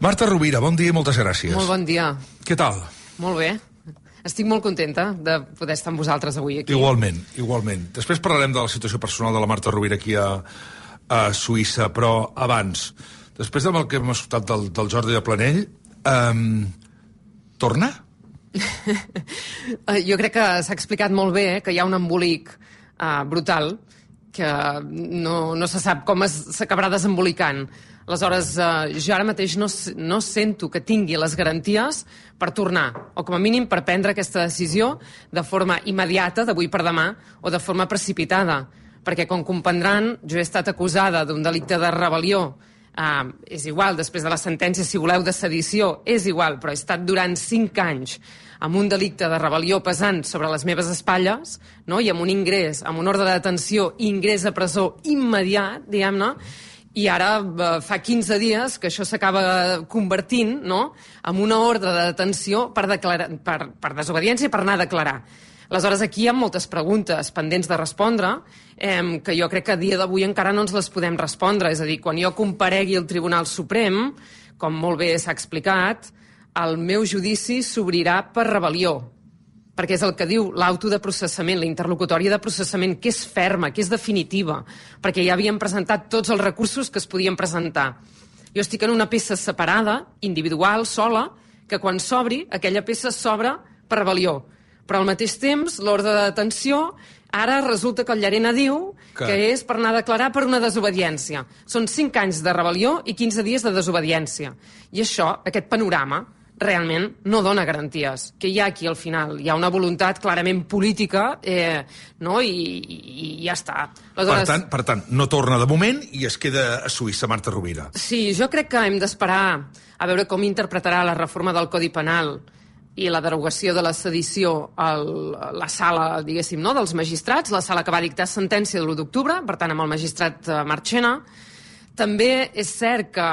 Marta Rovira, bon dia i moltes gràcies. Molt bon dia. Què tal? Molt bé. Estic molt contenta de poder estar amb vosaltres avui aquí. Igualment. Després parlarem de la situació personal de la Marta Rovira aquí a Suïssa, però abans, després del que hem escoltat del Jordi de Planell, torna? Jo crec que s'ha explicat molt bé que hi ha un embolic brutal que no se sap com s'acabarà desembolicant. Aleshores, jo ara mateix no sento que tingui les garanties per tornar, o com a mínim per prendre aquesta decisió de forma immediata, d'avui per demà, o de forma precipitada. Perquè, com comprendran, jo he estat acusada d'un delicte de rebel·lió. És igual, després de la sentència, si voleu, de sedició, és igual, però he estat durant 5 anys amb un delicte de rebel·lió pesant sobre les meves espatlles, no? I amb un ingrés, amb un ordre de detenció i ingrés a presó immediat, diguem-ne, i ara fa 15 dies que això s'acaba convertint, no?, en una ordre de detenció per desobediència i per anar a declarar. Aleshores, aquí hi ha moltes preguntes pendents de respondre, que jo crec que a dia d'avui encara no ens les podem respondre. És a dir, quan jo comparegui al Tribunal Suprem, com molt bé s'ha explicat, el meu judici s'obrirà per rebel·lió, perquè és el que diu l'auto de processament, la interlocutòria de processament, que és ferma, que és definitiva, perquè ja havíem presentat tots els recursos que es podien presentar. Jo estic en una peça separada, individual, sola, que quan s'obri, aquella peça s'obre per rebel·lió. Però al mateix temps, l'ordre de detenció, ara resulta que el Llarena diu que és per anar a declarar per una desobediència. Són 5 anys de rebel·lió i 15 dies de desobediència. I això, aquest panorama, realment no dona garanties. Que hi ha aquí al final? Hi ha una voluntat clarament política, no? I ja està. Aleshores, per tant, no torna de moment i es queda a Suïssa, Marta Rovira. Sí, jo crec que hem d'esperar a veure com interpretarà la reforma del Codi Penal i la derogació de la sedició a la sala, diguéssim, no?, dels magistrats, la sala que va dictar sentència de l'1 d'octubre, per tant, amb el magistrat Marchena. També és cert que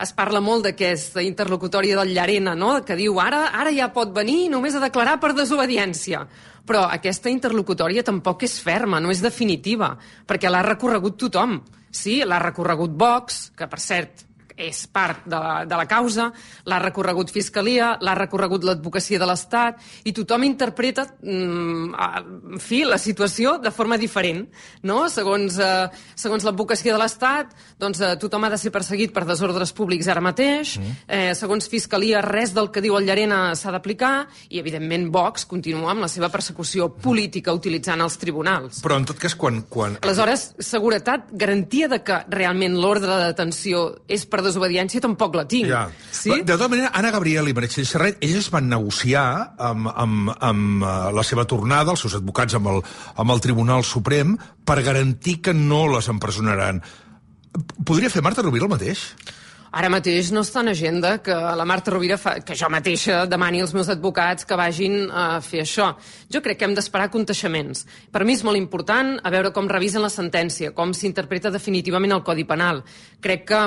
es parla molt d'aquesta interlocutòria del Llarena, no?, que diu ara ja pot venir només a declarar per desobediència. Però aquesta interlocutòria tampoc és ferma, no és definitiva, perquè l'ha recorregut tothom. Sí, l'ha recorregut Vox, que per cert és part de la causa, l'ha recorregut Fiscalia, l'ha recorregut l'Advocacia de l'Estat, i tothom interpreta, en fi, la situació de forma diferent, no? Segons l'Advocacia de l'Estat, doncs tothom ha de ser perseguit per desordres públics ara mateix, segons Fiscalia res del que diu el Llarena s'ha d'aplicar, i evidentment Vox continua amb la seva persecució política utilitzant els tribunals. Però en tot cas, quan... Aleshores, seguretat, garantia de que realment l'ordre de detenció és per desobediència tampoc la tinc. Ja. Sí? De tota manera, Anna Gabriel i Meritxell Serret, elles van negociar amb la seva tornada, els seus advocats amb el Tribunal Suprem, per garantir que no les empresonaran. Podria fer Marta Rovira el mateix? Ara mateix no està en agenda que la Marta Rovira que jo mateixa demani als meus advocats que vagin a fer això. Jo crec que hem d'esperar conteixements. Per mi és molt important a veure com revisen la sentència, com s'interpreta definitivament el Codi Penal. Crec que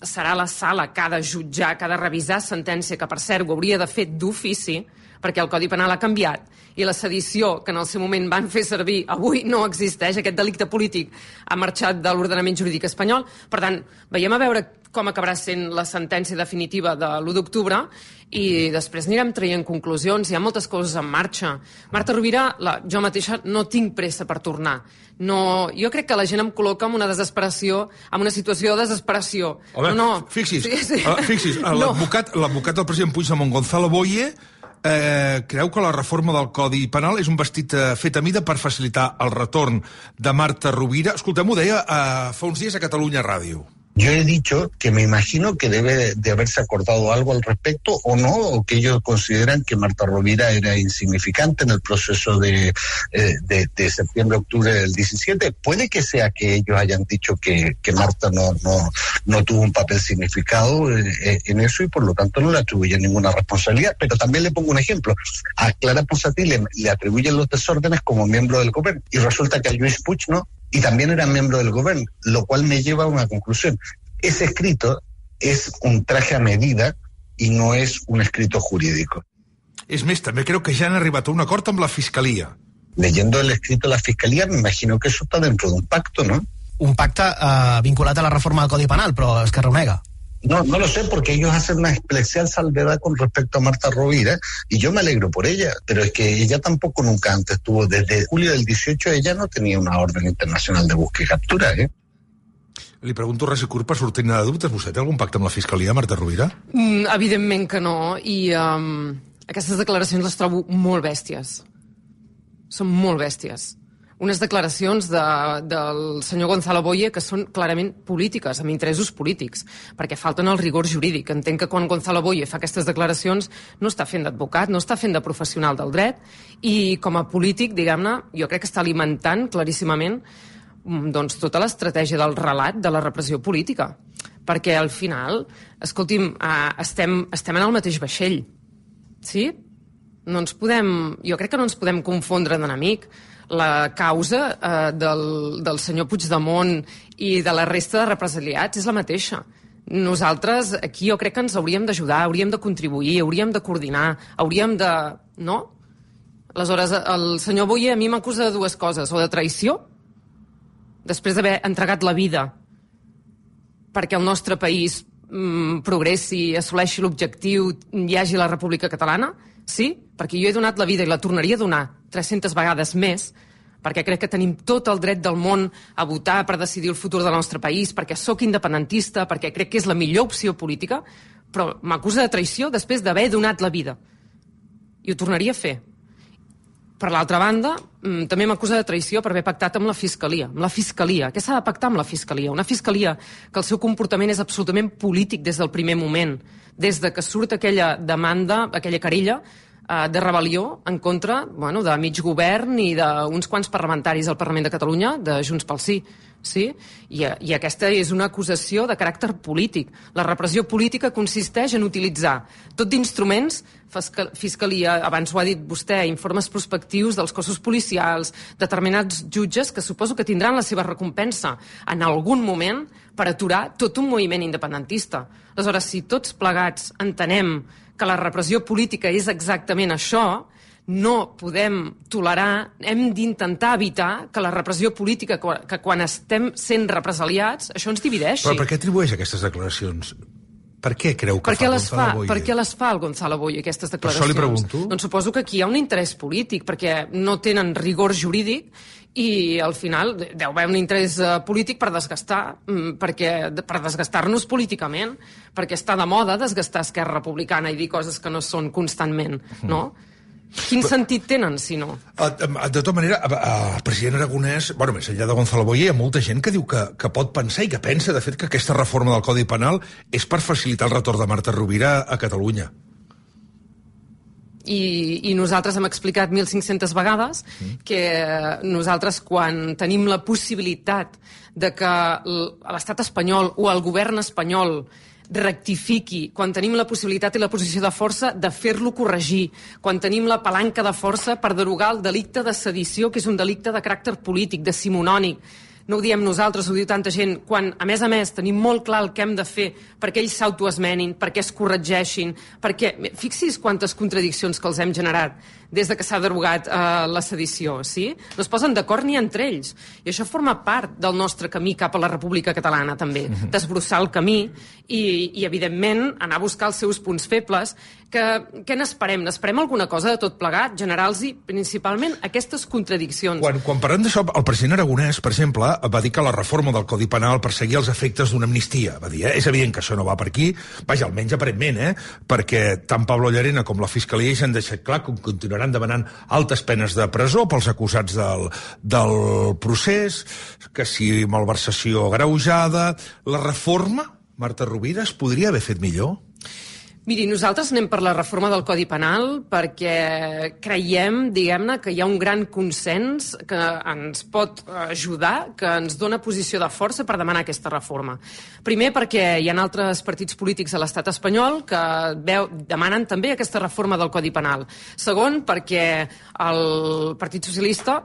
serà la sala que ha de jutjar, que ha de revisar sentència, que per cert ho hauria de fer d'ofici, perquè el Codi Penal ha canviat i la sedició que en el seu moment van fer servir avui no existeix, aquest delicte polític ha marxat de l'ordenament jurídic espanyol. Per tant, veiem a veure com acabarà sent la sentència definitiva de l'1 d'octubre i després anirem traient conclusions. Hi ha moltes coses en marxa. Marta Rovira, jo mateixa no tinc pressa per tornar. No, jo crec que la gent em col·loca en una desesperació, en una situació de desesperació. No. Fixis, l'advocat del president Puigdemont, Gonzalo Boye, creu que la reforma del Codi Penal és un vestit fet a mida per facilitar el retorn de Marta Rovira. Escoltem, ho deia fa uns dies a Catalunya Ràdio. Yo he dicho que me imagino que debe de haberse acordado algo al respecto o no, o que ellos consideran que Marta Rovira era insignificante en el proceso de septiembre-octubre del 17. Puede que sea que ellos hayan dicho que Marta no tuvo un papel significado en eso y por lo tanto no le atribuyen ninguna responsabilidad. Pero también le pongo un ejemplo. A Clara Ponsatí le atribuyen los desórdenes como miembro del gobierno y resulta que a Lluís Puig no. Y también era miembro del gobierno, lo cual me lleva a una conclusión. Ese escrito es un traje a medida y no es un escrito jurídico. És més, també creo que ja han arribat a un acord amb la Fiscalia. Leyendo el escrito de la Fiscalia, me imagino que eso está dentro de un pacto, ¿no? Un pacte vinculat a la reforma del Codi Penal, però Esquerra ho nega. No lo sé, porque ellos hacen una especial salvedad con respecto a Marta Rovira, y yo me alegro por ella, pero es que ella tampoco nunca antes tuvo, desde julio del 18 ella no tenía una orden internacional de búsqueda i captura, Li pregunto res i curt per sortir de dubtes. Vostè té algun pacte amb la Fiscalia, Marta Rovira? Evidentment que no, i aquestes declaracions les trobo molt bèsties. Són molt bèsties. Unes declaracions del senyor Gonzalo Boye que són clarament polítiques, amb interessos polítics, perquè falten el rigor jurídic. Entenc que quan Gonzalo Boye fa aquestes declaracions no està fent d'advocat, no està fent de professional del dret, i com a polític, diguem-ne, jo crec que està alimentant claríssimament doncs, tota l'estratègia del relat de la repressió política. Perquè al final, escolti'm, estem en el mateix vaixell, sí? Jo crec que no ens podem confondre d'enemic. La causa del senyor Puigdemont i de la resta de represaliats és la mateixa. Nosaltres aquí jo crec que ens hauríem d'ajudar, hauríem de contribuir, hauríem de coordinar, hauríem de... No? Aleshores, el senyor Boye a mi m'acusa de dues coses, o de traïció, després d'haver entregat la vida perquè el nostre país progressi, assoleixi l'objectiu, hi hagi la República Catalana, sí, perquè jo he donat la vida i la tornaria a donar 300 vegades més, perquè crec que tenim tot el dret del món a votar per decidir el futur del nostre país, perquè sóc independentista, perquè crec que és la millor opció política, però m'acusa de traïció després d'haver donat la vida. I ho tornaria a fer. Per l'altra banda, també m'acusa de traïció per haver pactat amb la Fiscalia. Amb la Fiscalia. Què s'ha de pactar amb la Fiscalia? Una Fiscalia que el seu comportament és absolutament polític des del primer moment, des de que surt aquella demanda, aquella querella de rebel·lió en contra de mig govern i d'uns quants parlamentaris al Parlament de Catalunya, de Junts pel Sí. Sí? I aquesta és una acusació de caràcter polític. La repressió política consisteix en utilitzar tot d'instruments, Fiscalia, abans ho ha dit vostè, informes prospectius dels cossos policials, determinats jutges que suposo que tindran la seva recompensa en algun moment per aturar tot un moviment independentista. Aleshores, si tots plegats entenem que la repressió política és exactament això, no podem tolerar, hem d'intentar evitar que la repressió política, que quan estem sent represaliats, això ens divideixi. Però per què atribueix aquestes declaracions? Per què creu que fa Gonzalo Boye? Per què les fa el Gonzalo Boye, aquestes declaracions? Per això li pregunto. Doncs suposo que aquí hi ha un interès polític, perquè no tenen rigor jurídic i al final deu haver un interès polític per desgastar, per desgastar-nos políticament, perquè està de moda desgastar Esquerra Republicana i dir coses que no són constantment, no? Quin sentit tenen, si no? De tota manera, el president Aragonès, més enllà de Gonzalo Boye, hi ha molta gent que diu que pot pensar i que pensa, de fet, que aquesta reforma del Codi Penal és per facilitar el retorn de Marta Rovira a Catalunya. I nosaltres hem explicat 1.500 vegades que nosaltres, quan tenim la possibilitat de que l'estat espanyol o el govern espanyol rectifiqui, quan tenim la possibilitat i la posició de força de fer-lo corregir, quan tenim la palanca de força per derogar el delicte de sedició, que és un delicte de caràcter polític, decimonònic. No ho diem nosaltres, ho diu tanta gent, quan, a més, tenim molt clar el que hem de fer perquè ells s'autoesmenin, perquè es corregeixin, perquè... Fixi's quantes contradiccions que els hem generat des de que s'ha derogat la sedició, sí? No es posen d'acord ni entre ells. I això forma part del nostre camí cap a la República Catalana, també. Desbrossar el camí i evidentment, anar a buscar els seus punts febles. Què n'esperem? N'esperem alguna cosa de tot plegat? Generar-los principalment aquestes contradiccions. Quan parlem d'això, el president Aragonès, per exemple, va dir que la reforma del Codi Penal perseguia els efectes d'una amnistia. Va dir, és evident que això no va per aquí, vaja, almenys aparentment, perquè tant Pablo Llarena com la Fiscalia ja han deixat clar que continuaran demanant altes penes de presó pels acusats del procés, que si malversació agreujada. La reforma, Marta Rovira, es podria haver fet millor? Miri, nosaltres anem per la reforma del Codi Penal perquè creiem, diguem-ne, que hi ha un gran consens que ens pot ajudar, que ens dona posició de força per demanar aquesta reforma. Primer, perquè hi ha altres partits polítics a l'estat espanyol que demanen també aquesta reforma del Codi Penal. Segon, perquè el Partit Socialista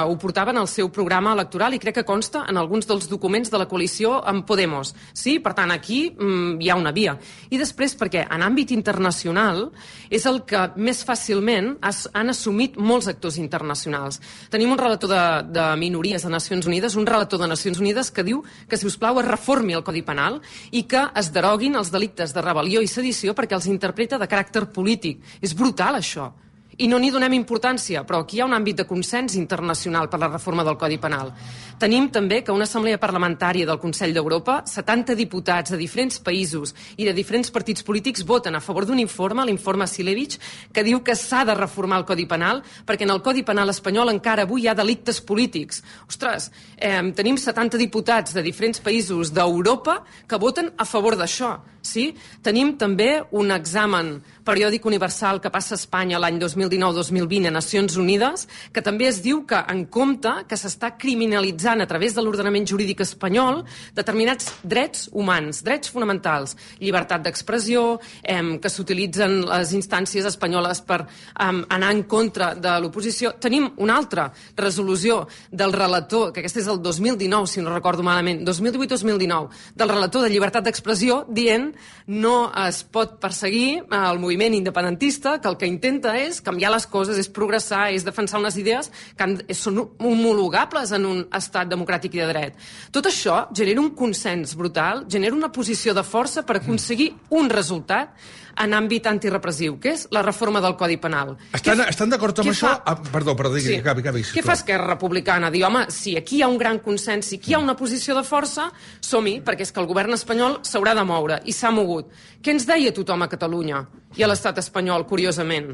ho portava en el seu programa electoral i crec que consta en alguns dels documents de la coalició amb Podemos. Sí, per tant, aquí hi ha una via. I després, perquè anar àmbit internacional és el que més fàcilment han assumit molts actors internacionals. Tenim un relator de minories de Nacions Unides, un relator de Nacions Unides que diu que, si us plau, es reformi el Codi Penal i que es deroguin els delictes de rebel·lió i sedició perquè els interpreta de caràcter polític. És brutal, això. I no n'hi donem importància, però aquí hi ha un àmbit de consens internacional per la reforma del Codi Penal. Tenim també que una assemblea parlamentària del Consell d'Europa, 70 diputats de diferents països i de diferents partits polítics voten a favor d'un informe, l'informe Silevich, que diu que s'ha de reformar el Codi Penal perquè en el Codi Penal espanyol encara avui hi ha delictes polítics. Ostres, tenim 70 diputats de diferents països d'Europa que voten a favor d'això. Sí? Tenim també un examen periòdic universal que passa a Espanya l'any 2019-2020 a Nacions Unides, que també es diu que, en compte, que s'està criminalitzant a través de l'ordenament jurídic espanyol determinats drets humans, drets fonamentals, llibertat d'expressió, que s'utilitzen les instàncies espanyoles per anar en contra de l'oposició. Tenim una altra resolució del relator, que aquesta és el 2019, si no recordo malament, 2018-2019, del relator de llibertat d'expressió, dient no es pot perseguir el moviment independentista, que el que intenta és canviar les coses, és progressar, és defensar unes idees que són homologables en un estat democràtic i de dret. Tot això genera un consens brutal, genera una posició de força per aconseguir un resultat en àmbit antirepressiu, que és la reforma del Codi Penal. Estan d'acord amb això? Perdó, digui, acabi. Què fa Esquerra Republicana? Diu, home, si aquí hi ha un gran consens, si aquí hi ha una posició de força, som-hi, perquè és que el govern espanyol s'haurà de moure, i s'ha mogut. Què ens deia tothom a Catalunya i a l'estat espanyol, curiosament?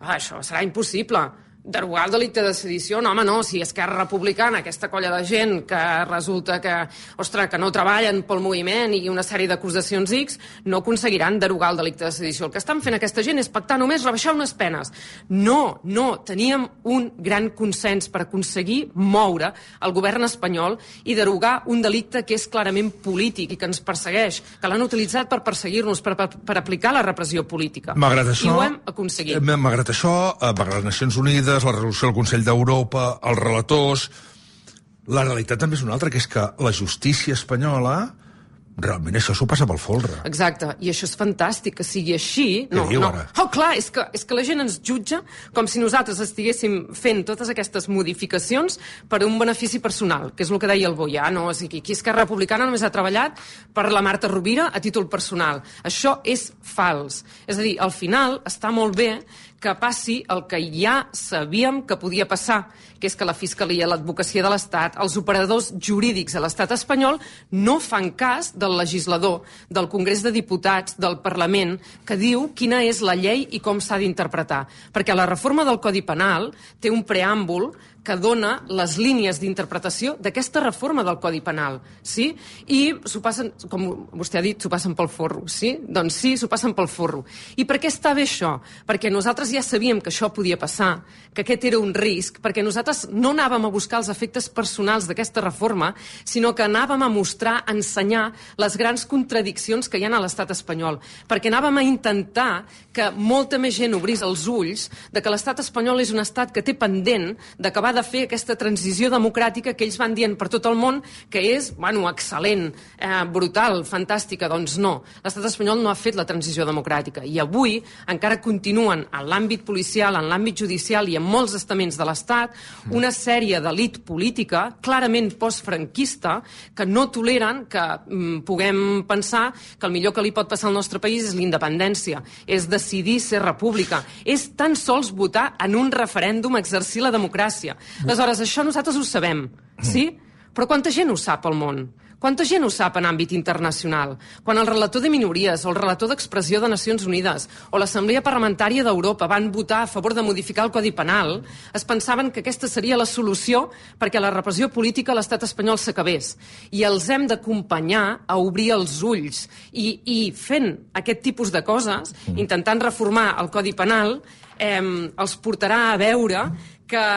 Això serà impossible. Derogar el delicte de sedició? No, home, no. Si Esquerra Republicana, aquesta colla de gent que resulta que, ostres, que no treballen pel moviment i una sèrie d'acusacions X, no aconseguiran derogar el delicte de sedició. El que estan fent aquesta gent és pactar només rebaixar unes penes. No. Teníem un gran consens per aconseguir moure el govern espanyol i derogar un delicte que és clarament polític i que ens persegueix, que l'han utilitzat per perseguir-nos, per aplicar la repressió política. Malgrat això, i ho hem aconseguit. Malgrat això, malgrat les Nacions Unides, la resolució del Consell d'Europa, els relators, la realitat també és una altra, que és que la justícia espanyola realment això s'ho passa pel folre. Exacte, i això és fantàstic, que sigui així. Què diu ara? Oh, clar, és que la gent ens jutja com si nosaltres estiguéssim fent totes aquestes modificacions per un benefici personal, que és el que deia el Boià, no? O sigui, aquí Esquerra Republicana només ha treballat per la Marta Rovira a títol personal. Això és fals. És a dir, al final està molt bé que passi el que ja sabíem que podia passar, que és que la Fiscalia, l'Advocacia de l'Estat, els operadors jurídics a l'Estat espanyol no fan cas del legislador, del Congrés de Diputats, del Parlament, que diu quina és la llei i com s'ha d'interpretar. Perquè la reforma del Codi Penal té un preàmbul que dona les línies d'interpretació d'aquesta reforma del Codi Penal, sí? I s'ho passen, com vostè ha dit, s'ho passen pel forro, sí? Doncs sí, s'ho passen pel forro. I per què està bé això? Perquè nosaltres ja sabíem que això podia passar, que aquest era un risc, perquè nosaltres no anàvem a buscar els efectes personals d'aquesta reforma, sinó que anàvem a mostrar, a ensenyar les grans contradiccions que hi ha a l'estat espanyol, perquè anàvem a intentar que molta més gent obrís els ulls de que l'estat espanyol és un estat que té pendent d'acabar de fer aquesta transició democràtica que ells van dient per tot el món que és, bueno, excel·lent, brutal, fantàstica. Doncs no, l'estat espanyol no ha fet la transició democràtica i avui encara continuen en l'àmbit policial, en l'àmbit judicial i en molts estaments de l'estat una sèrie d'elit política clarament postfranquista que no toleren que puguem pensar que el millor que li pot passar al nostre país és l'independència, és decidir ser república, és tan sols votar en un referèndum, exercir la democràcia. Aleshores, això nosaltres ho sabem, sí? Però quanta gent ho sap al món? Quanta gent ho sap en àmbit internacional? Quan el relator de minories o el relator d'expressió de Nacions Unides o l'Assemblea Parlamentària d'Europa van votar a favor de modificar el Codi Penal, es pensaven que aquesta seria la solució perquè la repressió política a l'estat espanyol s'acabés. I els hem d'acompanyar a obrir els ulls. I fent aquest tipus de coses, intentant reformar el Codi Penal, els portarà a veure que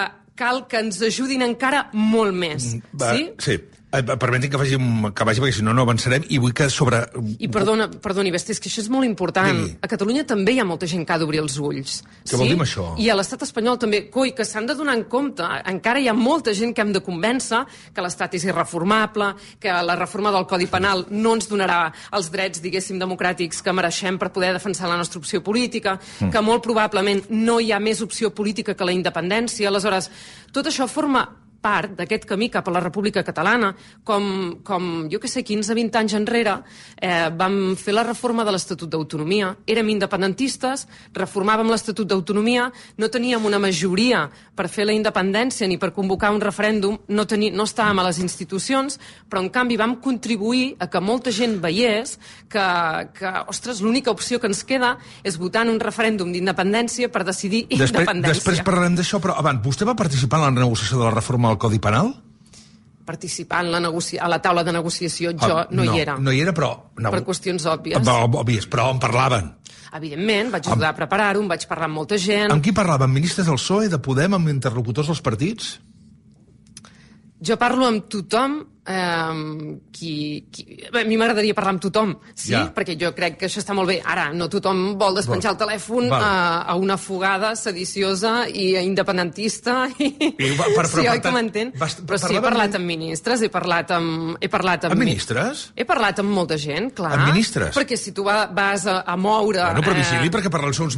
cal que ens ajudin encara molt més. Sí. Permetin que vagi, perquè si no, no avançarem, i vull que sobre... I perdoni, Besti, és que això és molt important. Digui. A Catalunya també hi ha molta gent que ha d'obrir els ulls. Què vol dir amb això? I a l'estat espanyol també. Coi, que s'han de donar en compte. Encara hi ha molta gent que hem de convèncer que l'estat és irreformable, que la reforma del Codi Penal no ens donarà els drets, diguéssim, democràtics que mereixem per poder defensar la nostra opció política, que molt probablement no hi ha més opció política que la independència. Aleshores, tot això forma part d'aquest camí cap a la República Catalana, com jo que sé, 15-20 anys enrere, vam fer la reforma de l'Estatut d'Autonomia. Érem independentistes, reformàvem l'Estatut d'Autonomia, no teníem una majoria per fer la independència ni per convocar un referèndum, no estàvem a les institucions, però en canvi vam contribuir a que molta gent veiés que ostres, l'única opció que ens queda és votar en un referèndum d'independència per decidir independència. Després parlarem d'això, però abans, vostè va participar en la negociació de la reforma del Codi Penal? Participar a la taula de negociació jo no hi era. No hi era, però... Per qüestions òbvies. Òbvies, però en parlaven. Evidentment, vaig ajudar a preparar-ho, vaig parlar amb molta gent. Amb qui parlaven? Ministres del PSOE, de Podem, amb interlocutors dels partits? Jo parlo amb tothom. A mi m'agradaria parlar amb tothom, sí, perquè jo crec que això està molt bé. Ara, no tothom vol despenjar el telèfon a una fugada sediciosa i independentista. Sí, oi que m'entén? Però sí, he parlat amb ministres, he parlat amb... Amb ministres? He parlat amb molta gent, clar. Amb ministres? Perquè si tu vas a moure... Bueno, però vigili, perquè parlar segons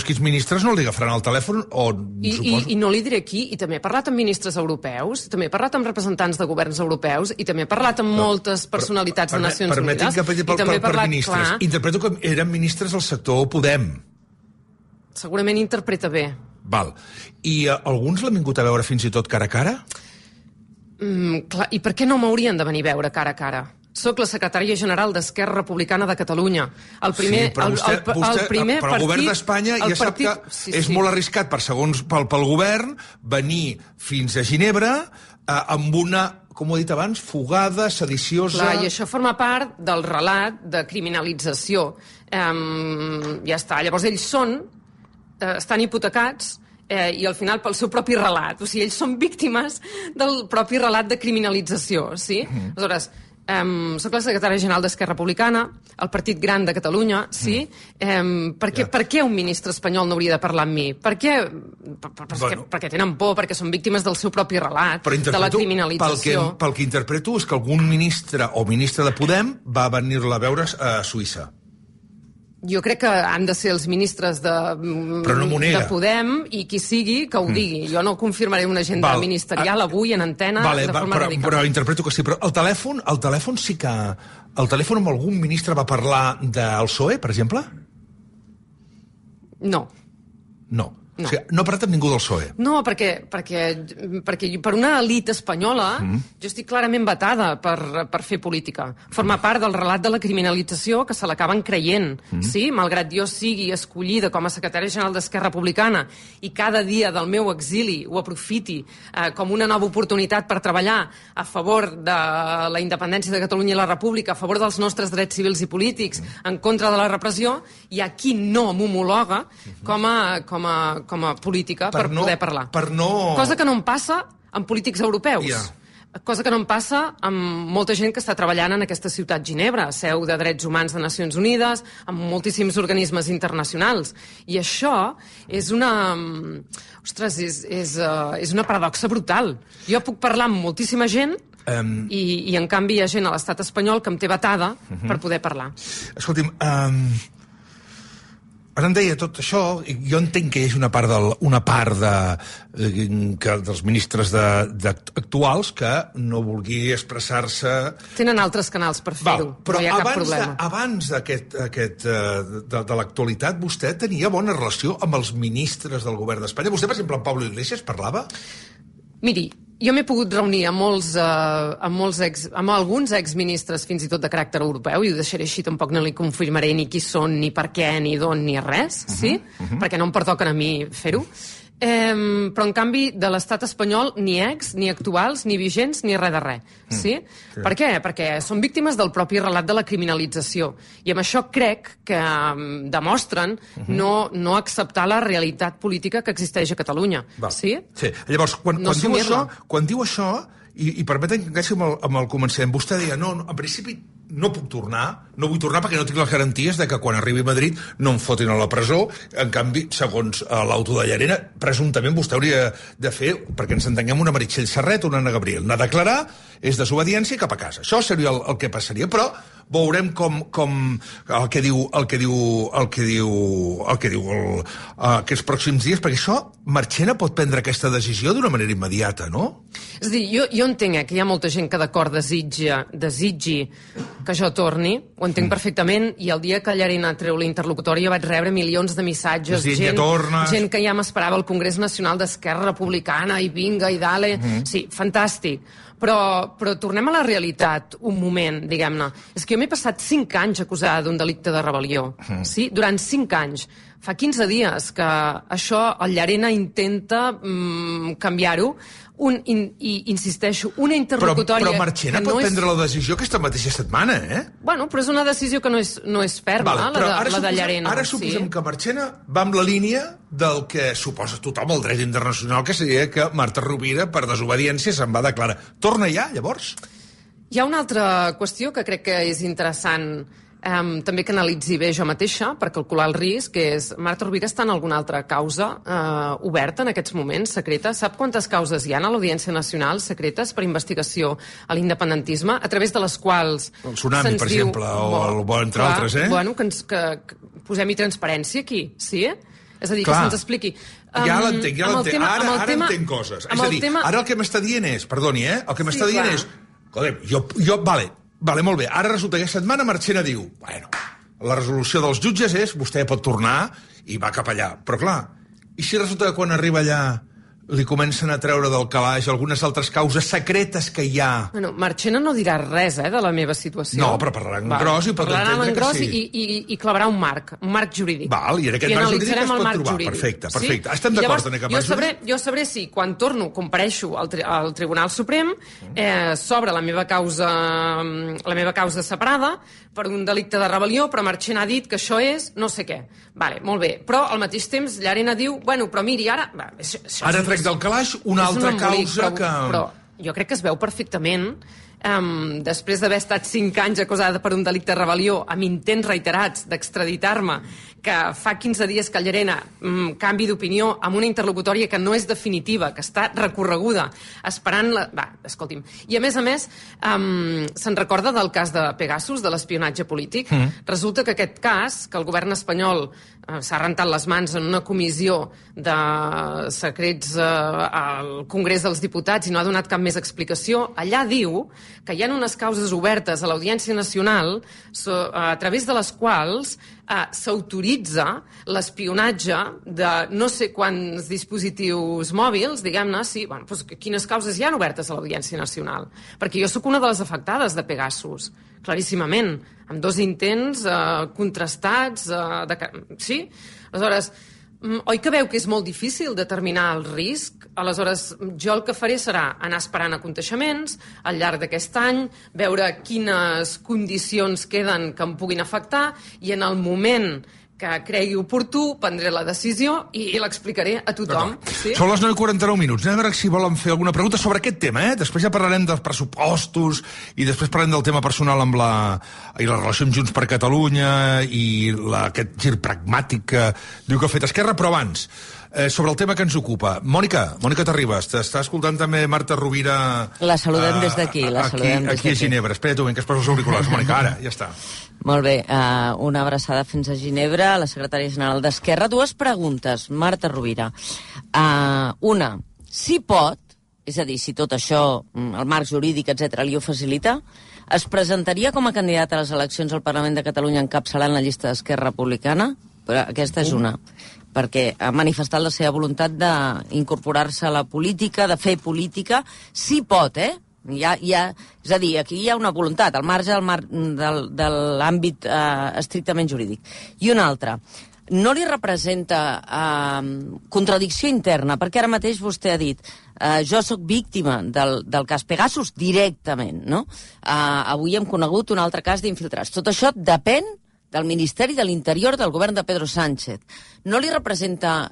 quins ministres no li agafaran el telèfon o... I no li diré qui, i també he parlat amb ministres europeus, també he parlat amb representants de governs europeus, i també he parlat amb moltes personalitats de Nacions Unides. Permetin que per ministres. Interpreto que eren ministres del sector Podem. Segurament interpreta bé. Val. I alguns l'han vingut a veure fins i tot cara a cara? Clar, i per què no m'haurien de venir a veure cara a cara? Soc la secretària general d'Esquerra Republicana de Catalunya. El primer, sí, però però el govern d'Espanya ja sap que és molt arriscat pel govern venir fins a Ginebra amb una, com ho he dit abans, fugada, sediciosa... Clar, i això forma part del relat de criminalització. Ja està. Llavors ells estan hipotecats i al final pel seu propi relat. O sigui, ells són víctimes del propi relat de criminalització, sí? Aleshores, soc la secretària general d'Esquerra Republicana, el partit gran de Catalunya, sí? Per què un ministre espanyol no hauria de parlar amb mi? Per què? Perquè tenen por, perquè són víctimes del seu propi relat, de la criminalització. Pel que interpreto és que algun ministre o ministra de Podem va venir-la a veure a Suïssa. Jo crec que han de ser els ministres de Podem i qui sigui que ho digui. Jo no confirmaré una agenda ministerial avui en antena de forma radical. Però interpreto que sí. Però el telèfon sí que... El telèfon amb algun ministre va parlar del PSOE, per exemple? No. No. O sigui, no ha parlat amb ningú del PSOE. No, perquè per una elit espanyola jo estic clarament vetada per fer política. Forma part del relat de la criminalització que se l'acaben creient. Sí? Malgrat jo sigui escollida com a secretària general d'Esquerra Republicana i cada dia del meu exili ho aprofiti com una nova oportunitat per treballar a favor de la independència de Catalunya i la República, a favor dels nostres drets civils i polítics, en contra de la repressió, hi ha qui no m'homologa com a política per poder parlar. Cosa que no em passa amb polítics europeus. Cosa que no em passa amb molta gent que està treballant en aquesta ciutat Ginebra, seu de drets humans de Nacions Unides, amb moltíssims organismes internacionals. I això és una... Ostres, és una paradoxa brutal. Jo puc parlar amb moltíssima gent i en canvi hi ha gent a l'estat espanyol que em té vetada per poder parlar. Escolti'm, ara em deia tot això, i jo entenc que hi hagi una part dels ministres actuals que no vulgui expressar-se... Tenen altres canals per fer-ho, no hi ha cap problema. Abans de l'actualitat, vostè tenia bona relació amb els ministres del govern d'Espanya? Vostè, per exemple, amb Pablo Iglesias parlava? Miri, jo m'he pogut reunir amb alguns exministres, fins i tot de caràcter europeu, i ho deixaré així, tampoc no li confirmaré ni qui són, ni per què, ni d'on, ni res, sí? Perquè no em pertoquen a mi fer-ho. Però, en canvi, de l'estat espanyol, ni ni actuals, ni vigents, ni res de res. Sí? Per què? Perquè són víctimes del propi relat de la criminalització. I amb això crec que demostren no acceptar la realitat política que existeix a Catalunya. Sí? Llavors, quan diu això, I permeten que encaixi amb el començament. Vostè deia, no, en principi no puc tornar, no vull tornar perquè no tinc les garanties de que quan arribi a Madrid no em fotin a la presó. En canvi, segons l'auto de Llarena, presumptament vostè hauria de fer, perquè ens entenguem, una Meritxell Serret o una Anna Gabriel. Anar a declarar, és desobediència i cap a casa. Això seria el que passaria, però veurem com el que diu aquests pròxims dies, perquè això Marchena pot prendre aquesta decisió d'una manera immediata, no? És a dir, jo entenc que hi ha molta gent que d'acord desitgi que jo torni, ho entenc perfectament, i el dia que Llarena treu l'interlocutòria vaig rebre milions de missatges, gent que ja m'esperava al Congrés Nacional d'Esquerra Republicana, i vinga, i dale... Sí, fantàstic. Però tornem a la realitat un moment, diguem-ne. És que jo m'he passat 5 anys acusada d'un delicte de rebel·lió. Sí? Durant 5 anys. Fa 15 dies que això el Llarena intenta canviar-ho, i insisteixo, una interlocutòria... Però Marchena pot prendre la decisió aquesta mateixa setmana, eh? Bueno, però és una decisió que no és ferma, la de Llarena. Ara suposem que Marchena va amb la línia del que suposa tothom el dret internacional, que seria que Marta Rovira, per desobediència, se'n va declarar. Torna ja, llavors? Hi ha una altra qüestió que crec que és interessant també que analitzi bé jo mateixa per calcular el risc, que és Marta Rovira està en alguna altra causa oberta en aquests moments, secreta? Sap quantes causes hi ha a l'Audiència Nacional secretes per investigació a l'independentisme, a través de les quals... El Tsunami, per exemple, o entre altres, eh? Bueno, que posem-hi transparència aquí, sí? És a dir, que se'ns expliqui. Ja l'entenc. Ara entenc coses. És a dir, ara el que m'està dient és... Perdoni, el que m'està dient és... Vale, molt bé. Ara resulta que aquesta setmana Marchena diu, bueno, la resolució dels jutges és vostè pot tornar i va cap allà. Però clar, i si resulta que quan arriba allà li comencen a treure del calaix algunes altres causes secretes que hi ha... Bueno, Marchena no dirà res, de la meva situació. No, però parlarà en gros i pot entendre que sí. I clavarà un marc jurídic. Val, i en aquest marc jurídic es pot trobar. Perfecte. Sí? Estem d'acord en aquest marc jurídic? Jo sabré si quan torno, compareixo al Tribunal Suprem, s'obre la meva causa separada per un delicte de rebel·lió, però Marchena ha dit que això és no sé què. Vale, molt bé. Però al mateix temps Llarena diu, bueno, però miri, ara... Ara trec del calaix una altra causa que... Però jo crec que es veu perfectament, després d'haver estat 5 anys acusada per un delicte de rebel·lió amb intents reiterats d'extraditar-me, que fa 15 dies que Llarena canvi d'opinió amb una interlocutòria que no és definitiva, que està recorreguda, esperant... escolti'm. I a més, se'n recorda del cas de Pegasus, de l'espionatge polític? Resulta que aquest cas, que el govern espanyol s'ha rentat les mans en una comissió de secrets al Congrés dels Diputats i no ha donat cap més explicació, allà diu que hi ha unes causes obertes a l'Audiència Nacional a través de les quals s'autoritza l'espionatge de no sé quants dispositius mòbils, diguem-ne, sí, bueno, doncs quines causes hi ha obertes a l'Audiència Nacional? Perquè jo sóc una de les afectades de Pegasus, claríssimament, amb 2 intents contrastats, sí? Aleshores, oi que veu que és molt difícil determinar el risc? Aleshores, jo el que faré serà anar esperant aconteixements al llarg d'aquest any, veure quines condicions queden que em puguin afectar i en el moment que cregui oportú, prendré la decisió i l'explicaré a tothom. Sí? Són les 9:49. Anem a veure si volen fer alguna pregunta sobre aquest tema, Després ja parlarem dels pressupostos i després parlarem del tema personal amb i la relació amb Junts per Catalunya i aquest gir pragmàtic que diu que ha fet Esquerra, però abans, sobre el tema que ens ocupa. Mònica Terribas, t'està escoltant també Marta Rovira... La saludem des d'aquí, aquí a Ginebra. Espera't un moment, que es posa els auriculars, Mònica, ara, ja està. Molt bé, una abraçada fins a Ginebra, a la secretària general d'Esquerra. 2 preguntes, Marta Rovira. Una, si pot, és a dir, si tot això, el marc jurídic, etc., li ho facilita, es presentaria com a candidat a les eleccions al Parlament de Catalunya encapçalant la llista d'Esquerra Republicana? Però aquesta és una, perquè ha manifestat la seva voluntat d'incorporar-se a la política, de fer política. Si pot, és a dir, aquí hi ha una voluntat, al marge de l'àmbit estrictament jurídic. I una altra, no li representa contradicció interna, perquè ara mateix vostè ha dit jo sóc víctima del cas Pegasus directament, no? Avui hem conegut un altre cas d'infiltrats. Tot això depèn del Ministeri de l'Interior del govern de Pedro Sánchez. No li representa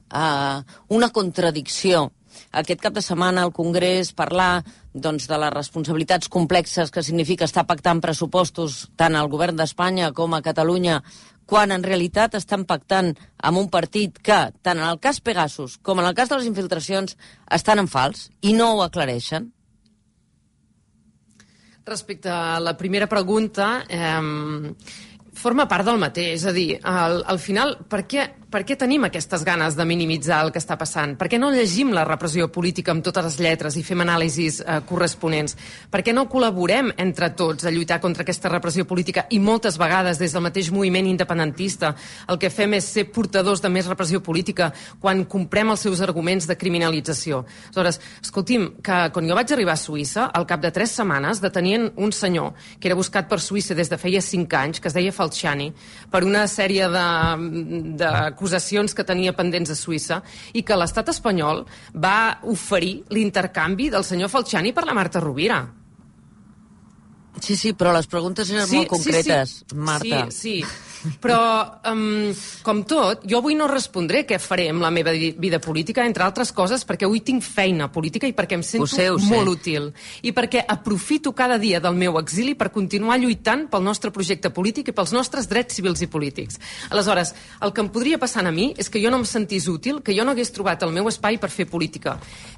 una contradicció aquest cap de setmana al Congrés parlar doncs, de les responsabilitats complexes que significa estar pactant pressupostos tant al govern d'Espanya com a Catalunya, quan en realitat estan pactant amb un partit que, tant en el cas Pegasus com en el cas de les infiltracions, estan en fals i no ho aclareixen? Respecte a la primera pregunta, forma part del mateix. És a dir, al final, per què tenim aquestes ganes de minimitzar el que està passant? Per què no llegim la repressió política amb totes les lletres i fem anàlisis corresponents? Per què no col·laborem entre tots a lluitar contra aquesta repressió política? I moltes vegades, des del mateix moviment independentista, el que fem és ser portadors de més repressió política quan comprem els seus arguments de criminalització. Aleshores, escolti'm, que quan jo vaig arribar a Suïssa, al cap de 3 setmanes detenien un senyor que era buscat per Suïssa des de feia 5 anys, que es deia Falciani, per una sèrie d'acusacions que tenia pendents a Suïssa, i que l'estat espanyol va oferir l'intercanvi del senyor Falciani per la Marta Rovira. Sí, però les preguntes eren molt concretes, Marta. Sí. Però, com tot, jo avui no respondré què faré amb la meva vida política, entre altres coses, perquè avui tinc feina política i perquè em sento molt útil. I perquè aprofito cada dia del meu exili per continuar lluitant pel nostre projecte polític i pels nostres drets civils i polítics. Aleshores, el que em podria passar a mi és que jo no em sentís útil, que jo no hagués trobat el meu espai per fer política.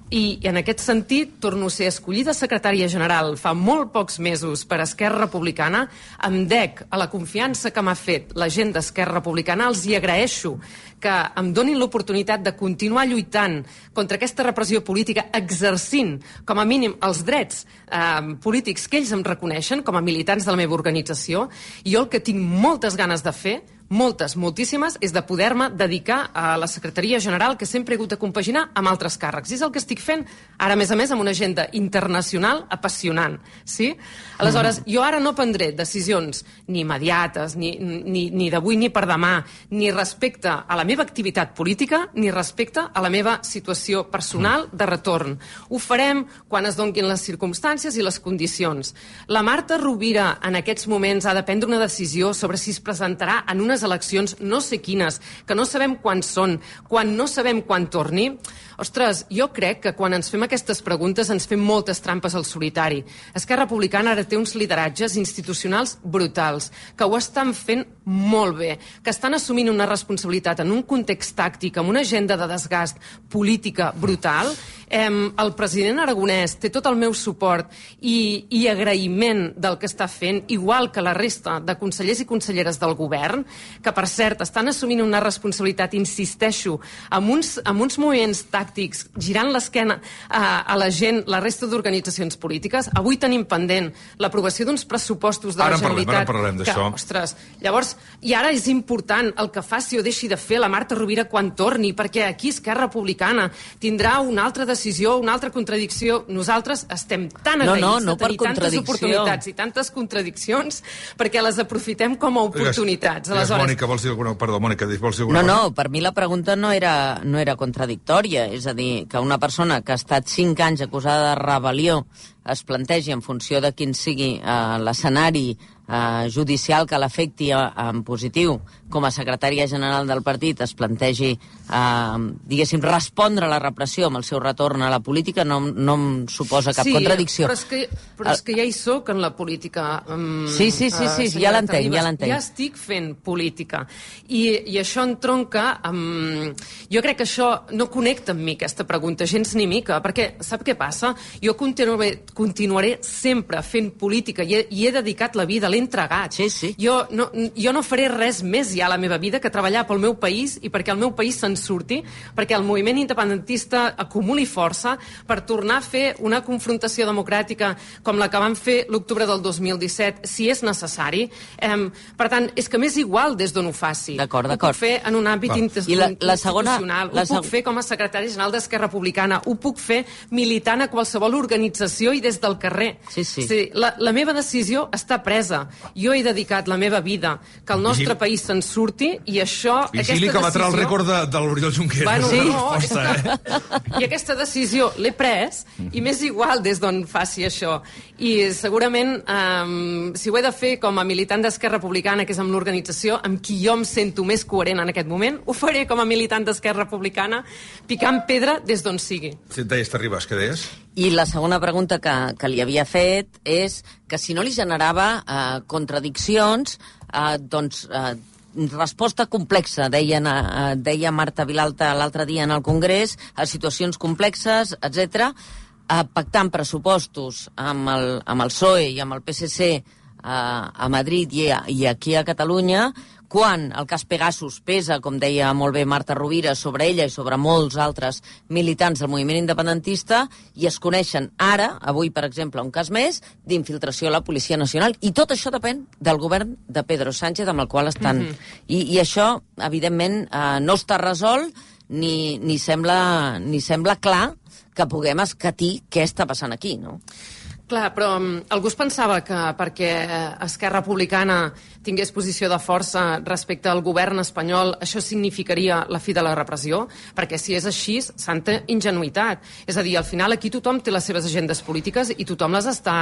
I en aquest sentit, torno a ser escollida secretària general fa molt pocs mesos per Esquerra Republicana, em dec a la confiança que m'ha fet la gent d'Esquerra Republicana. Els hi agraeixo que em donin l'oportunitat de continuar lluitant contra aquesta repressió política, exercint, com a mínim, els drets polítics que ells em reconeixen com a militants de la meva organització. I jo el que tinc moltes ganes de fer, moltíssimes, és de poder-me dedicar a la Secretaria General, que sempre he hagut de compaginar amb altres càrrecs. I és el que estic fent ara, a més, amb una agenda internacional apassionant. Sí? Aleshores, jo ara no prendré decisions ni immediates, ni d'avui ni per demà, ni respecte a la meva activitat política, ni respecte a la meva situació personal de retorn. Ho farem quan es donguin les circumstàncies i les condicions. La Marta Rovira en aquests moments ha de prendre una decisió sobre si es presentarà en unes eleccions no sé quines, que no sabem quan són, quan no sabem quan torni. Ostres, jo crec que quan ens fem aquestes preguntes ens fem moltes trampes al solitari. Esquerra Republicana ara té uns lideratges institucionals brutals, que ho estan fent molt bé, que estan assumint una responsabilitat en un context tàctic, amb una agenda de desgast política brutal. El president Aragonès té tot el meu suport i agraïment del que està fent, igual que la resta de consellers i conselleres del govern, que, per cert, estan assumint una responsabilitat, insisteixo, amb uns moviments tàctics, girant l'esquena a la gent, la resta d'organitzacions polítiques. Avui tenim pendent l'aprovació d'uns pressupostos de la Generalitat. Ara parlem d'això. Ostres, llavors, i ara és important el que faci o deixi de fer la Marta Rovira quan torni, perquè aquí Esquerra Republicana tindrà una altra decisió, una altra contradicció. Nosaltres estem tan agraïts de tenir tantes oportunitats i tantes contradiccions perquè les aprofitem com a oportunitats. Mònica, vols dir alguna cosa? Perdó, Mònica, vols dir alguna cosa? No, per mi la pregunta no era contradictòria. És a dir, que una persona que ha estat 5 anys acusada de rebel·lió es plantegi en funció de quin sigui l'escenari judicial que l'afecti en positiu, com a secretària general del partit, es plantegi, diguéssim, respondre a la repressió amb el seu retorn a la política, no em suposa cap contradicció. Però és que ja hi soc en la política. Sí, ja l'entenc. Ja estic fent política. I això entronca amb... Jo crec que això no connecta amb mi, aquesta pregunta, gens ni mica, perquè sap què passa? Jo continuaré sempre fent política i he dedicat la vida, l'he entregat. Sí. Jo no faré res més ja a la meva vida que treballar pel meu país i perquè el meu país se'n surti, perquè el moviment independentista acumuli força per tornar a fer una confrontació democràtica com la que vam fer l'octubre del 2017, si és necessari. Per tant, és que m'és igual des d'on ho faci. D'acord. Ho puc fer en un àmbit institucional, ho puc fer com a secretari general d'Esquerra Republicana, ho puc fer militant a qualsevol organització i des del carrer. Sí. La meva decisió està presa. Jo he dedicat la meva vida que el nostre país se'n surti, i això... Vigili que batrà el rècord de l'Oriol Junqueras. Bueno, sí. I aquesta decisió l'he pres, i m'és igual des d'on faci això. I segurament, si ho he de fer com a militant d'Esquerra Republicana, que és amb l'organització amb qui jo em sento més coherent en aquest moment, ho faré com a militant d'Esquerra Republicana, picant pedra des d'on sigui. Si et deies, t'arribes, què deies? I la segona pregunta que li havia fet és que si no li generava contradiccions, resposta complexa, deia Marta Vilalta l'altre dia en el Congrés, a situacions complexes, etc. Pactant pressupostos amb el PSOE i amb el PSC a Madrid i aquí a Catalunya, quan el cas Pegasus pesa, com deia molt bé Marta Rovira, sobre ella i sobre molts altres militants del moviment independentista, i es coneixen ara, avui, per exemple, un cas més, d'infiltració a la Policia Nacional, i tot això depèn del govern de Pedro Sánchez, amb el qual estan. I això, evidentment, no està resolt, ni sembla clar que puguem escatir què està passant aquí, no? Clar, però algú es pensava que perquè Esquerra Republicana tingués posició de força respecte al govern espanyol, això significaria la fi de la repressió? Perquè si és així, santa ingenuïtat. És a dir, al final aquí tothom té les seves agendes polítiques i tothom les està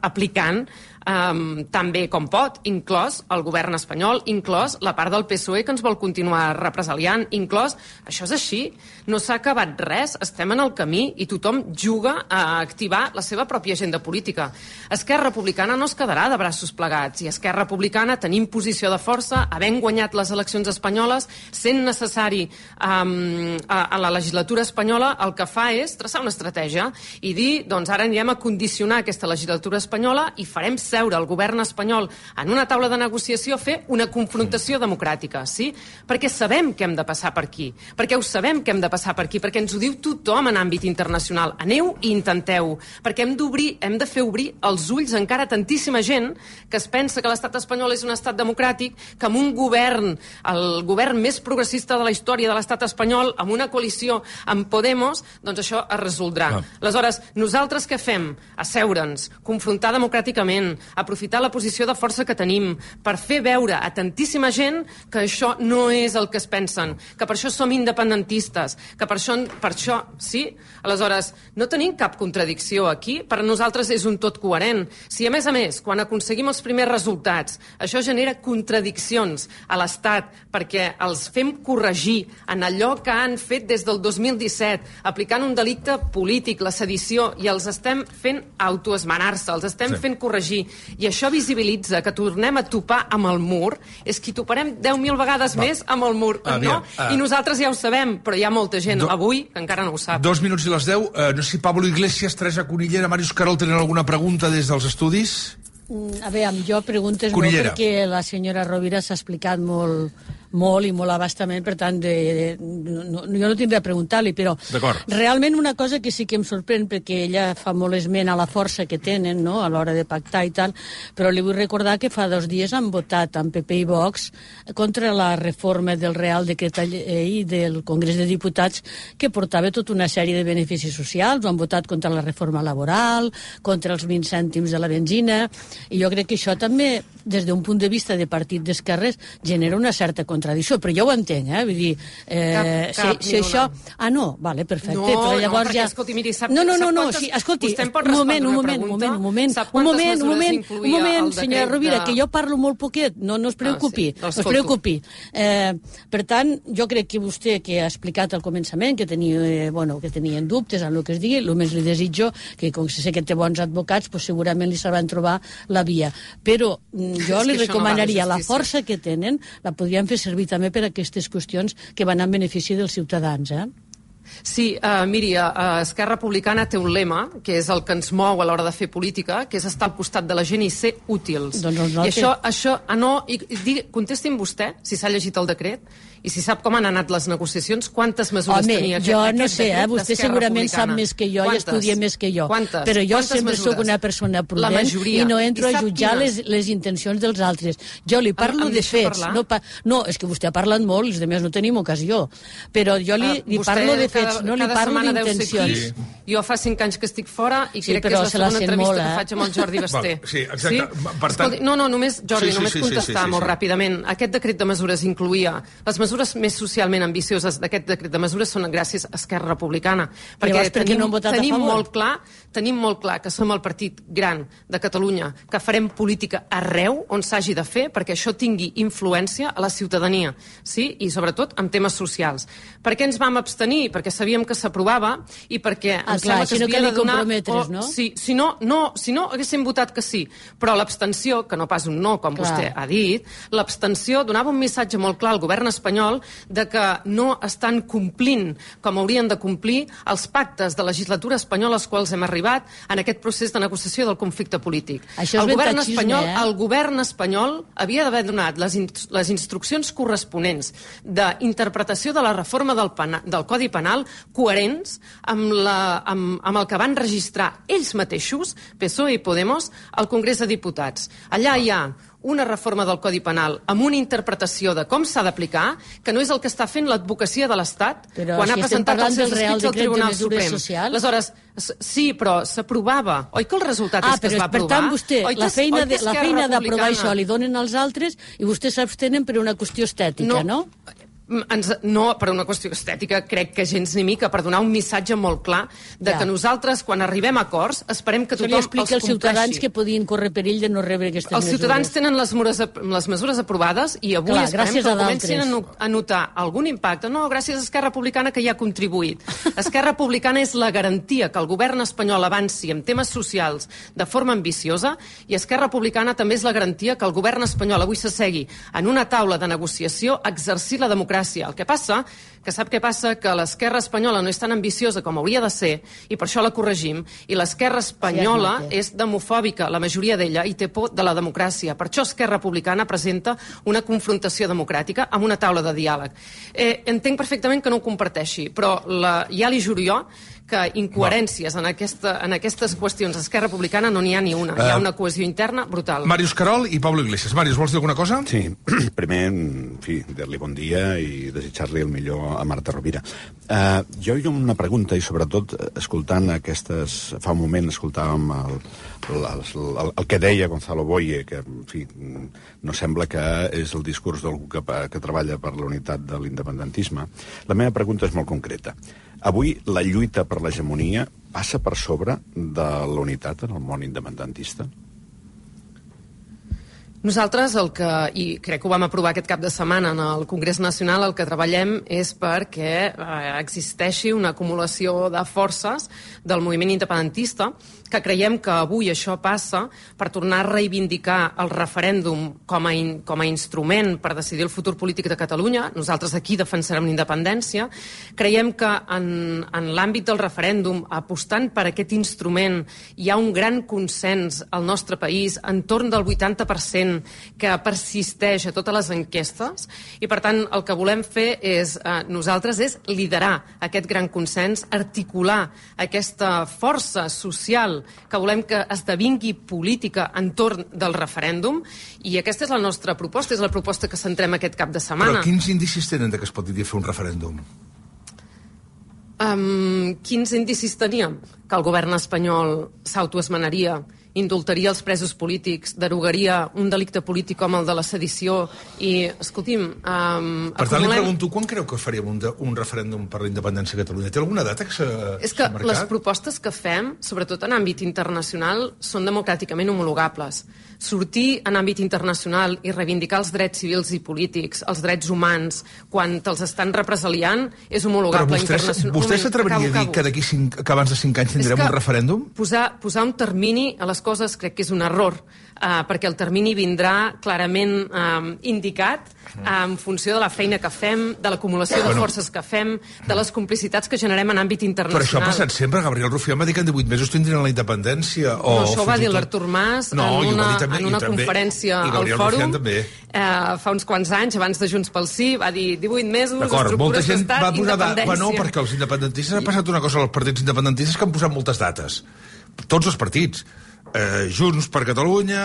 aplicant tan bé com pot, inclòs el govern espanyol, inclòs la part del PSOE que ens vol continuar represaliant, inclòs... Això és així, no s'ha acabat res, estem en el camí i tothom juga a activar la seva pròpia agenda política. Esquerra Republicana no es quedarà de braços plegats, i Esquerra Republicana tenim posició de força, havent guanyat les eleccions espanyoles, sent necessari a la legislatura espanyola, el que fa és traçar una estratègia i dir, doncs ara anirem a condicionar aquesta legislatura espanyola i farem seure el govern espanyol en una taula de negociació a fer una confrontació democràtica, sí? Perquè sabem que hem de passar per aquí, perquè ho sabem que hem de passar per aquí, perquè ens ho diu tothom en àmbit internacional. Aneu i intenteu, perquè hem de fer obrir els ulls encara a tantíssima gent que es pensa que l'estat espanyol és un estat democràtic, que amb un govern, el govern més progressista de la història de l'estat espanyol, amb una coalició amb Podemos, doncs això es resoldrà. Aleshores, nosaltres què fem? Asseure'ns, confrontar democràticament, aprofitar la posició de força que tenim per fer veure a tantíssima gent que això no és el que es pensen, que per això som independentistes, que per això sí? Aleshores, no tenim cap contradicció aquí, per nosaltres és un tot coherent. Si a més, quan aconseguim els primers resultats, això genera contradiccions a l'Estat perquè els fem corregir en allò que han fet des del 2017, aplicant un delicte polític, la sedició, i els estem fent autoesmenar-se, els estem fent corregir, i això visibilitza que tornem a topar amb el mur, és que toparem 10.000 vegades més amb el mur, no? I nosaltres ja ho sabem, però hi ha molta gent avui que encara no ho sap. 2 minuts i les 10. No sé si Pablo Iglesias, Teresa Cunillera, Màrius Carol tenen alguna pregunta des dels estudis? A veure, jo preguntes molt perquè la senyora Rovira s'ha explicat molt i molt abastament, per tant, jo no tindré a preguntar-li, però realment una cosa que sí que em sorprèn, perquè ella fa molt esment a la força que tenen, no?, a l'hora de pactar i tal, però li vull recordar que fa 2 dies han votat amb PP i Vox contra la reforma del Real Decret Llei del Congrés de Diputats, que portava tota una sèrie de beneficis socials, han votat contra la reforma laboral, contra els 20 cèntims de la benzina, i jo crec que això també, des d'un punt de vista de partit d'esquerres, genera una certa contradicció, però jo ho entenc, vull dir, si això... Ah, no? Vale, perfecte. No, perquè, escolti, miri, sap quantes... Sí, escolti, vostè em pot respondre una pregunta? Un moment, senyora Rovira, que jo parlo molt poquet, no es preocupi, no es preocupi. Per tant, jo crec que vostè, que ha explicat al començament, que tenien dubtes en el que es digui, només li desitjo que, com que sé que té bons advocats, segurament li sabran trobar la via. Però jo li recomanaria la força que tenen, la podrien fer servir també per a aquestes qüestions que van en benefici dels ciutadans, Sí, miri, Esquerra Republicana té un lema, que és el que ens mou a l'hora de fer política, que és estar al costat de la gent i ser útils. I això, contesti'm vostè, si s'ha llegit el decret, i si sap com han anat les negociacions, quantes mesures tenia aquest decret? Home, jo no sé, vostè segurament sap més que jo i estudia més que jo. Però jo sempre soc una persona prudent i no entro a jutjar les intencions dels altres. Jo li parlo de fets. No, és que vostè ha parlat molt i els altres no tenim ocasió. Però jo li parlo de fets, no li parlo d'intencions. Jo fa 5 anys que estic fora i crec que és la segona entrevista que faig amb el Jordi Basté. Sí, exacte. Per tant... Només, Jordi, només contestar molt ràpidament. Aquest decret de mesures incluïa les mesures més socialment ambicioses d'aquest decret de mesures són gràcies a Esquerra Republicana. Perquè tenim molt clar que som el partit gran de Catalunya, que farem política arreu on s'hagi de fer perquè això tingui influència a la ciutadania, sí? I sobretot en temes socials. Per què ens vam abstenir? Perquè sabíem que s'aprovava i perquè em sembla que s'havia de donar... Si no haguéssim votat que sí, però l'abstenció, que no pas un no, com vostè ha dit, l'abstenció donava un missatge molt clar al govern espanyol de que no estan complint com haurien de complir els pactes de legislatura espanyola als quals hem arribat en aquest procés de negociació del conflicte polític. El govern espanyol havia d'haver donat les instruccions corresponents d'interpretació de la reforma del Codi Penal coherents amb el que van registrar ells mateixos, PSOE i Podemos, al Congrés de Diputats. Allà hi ha una reforma del Codi Penal amb una interpretació de com s'ha d'aplicar, que no és el que està fent l'advocacia de l'Estat quan ha presentat els seus escrits al Tribunal Suprem. Aleshores, sí, però s'aprovava. Oi que el resultat és que es va aprovar? Per tant, vostè, la feina d'aprovar això li donen als altres i vostès s'abstenen per una qüestió estètica, no? No, per una qüestió estètica, crec que gens ni mica, per donar un missatge molt clar de que nosaltres, quan arribem a acords, esperem que tothom els compleixi. Això li explica als ciutadans que podien córrer perill de no rebre aquestes mesures. Els ciutadans tenen les mesures aprovades i avui esperem que comencin a notar algun impacte. No, gràcies a Esquerra Republicana, que hi ha contribuït. Esquerra Republicana és la garantia que el govern espanyol avanci en temes socials de forma ambiciosa i Esquerra Republicana també és la garantia que el govern espanyol avui s'assegui en una taula de negociació a exercir la democràcia. El que passa, que sap què passa? Que l'esquerra espanyola no és tan ambiciosa com hauria de ser i per això la corregim, i l'esquerra espanyola és demofòbica, la majoria d'ella, i té por de la democràcia. Per això Esquerra Republicana presenta una confrontació democràtica amb una taula de diàleg. Entenc perfectament que no ho comparteixi, però ja li juro jo que incoherències en aquestes qüestions d'Esquerra Republicana no n'hi ha ni una. Hi ha una cohesió interna brutal. Màrius Carol i Pablo Iglesias. Màrius, vols dir alguna cosa? Sí, primer, en fi, dir-li bon dia i desitjar-li el millor a Marta Rovira. Jo hi ha una pregunta, i sobretot escoltant aquestes... Fa un moment escoltàvem el que deia Gonzalo Boye, que, en fi, no sembla que és el discurs d'algú que treballa per la unitat de l'independentisme. La meva pregunta és molt concreta. Avui la lluita per l'hegemonia passa per sobre de la unitat en el món independentista? Nosaltres i crec que ho vam aprovar aquest cap de setmana en el Congrés Nacional, el que treballem és perquè existeixi una acumulació de forces del moviment independentista, que creiem que avui això passa per tornar a reivindicar el referèndum com a instrument per decidir el futur polític de Catalunya. Nosaltres aquí defensarem la independència. Creiem que en l'àmbit del referèndum, apostant per aquest instrument, hi ha un gran consens al nostre país, entorn del 80%, que persisteix a totes les enquestes, i per tant el que volem fer nosaltres és liderar aquest gran consens, articular aquesta força social que volem que esdevingui política entorn del referèndum, i aquesta és la nostra proposta, és la proposta que centrem aquest cap de setmana. Però quins indicis tenen que es pot fer un referèndum? Quins indicis teníem? Que el govern espanyol s'autoesmenaria, indultaria els presos polítics, derogaria un delicte polític com el de la sedició i, escolti'm... Per tant, li pregunto, quan creu que faríem un referèndum per la independència de Catalunya? Té alguna data que s'ha marcat? És que les propostes que fem, sobretot en àmbit internacional, són democràticament homologables. Sortir en àmbit internacional i reivindicar els drets civils i polítics, els drets humans, quan te'ls estan represaliant, és homologable internacionalment. Però vostè s'atreviria a dir que abans de 5 anys tindrem un referèndum? Posar un termini a les coses crec que és un error, perquè el termini vindrà clarament indicat en funció de la feina que fem, de l'acumulació de forces que fem, de les complicitats que generem en àmbit internacional. Però això ha passat sempre. Gabriel Rufián va dir que en 18 mesos tindrien la independència. No, això ho va dir l'Artur Mas en una conferència al Fòrum fa uns quants anys, abans de Junts pel Sí, va dir 18 mesos, estructures d'estat, independència. No, perquè els independentistes ha passat una cosa als partits independentistes que han posat moltes dates. Tots els partits. Junts per Catalunya,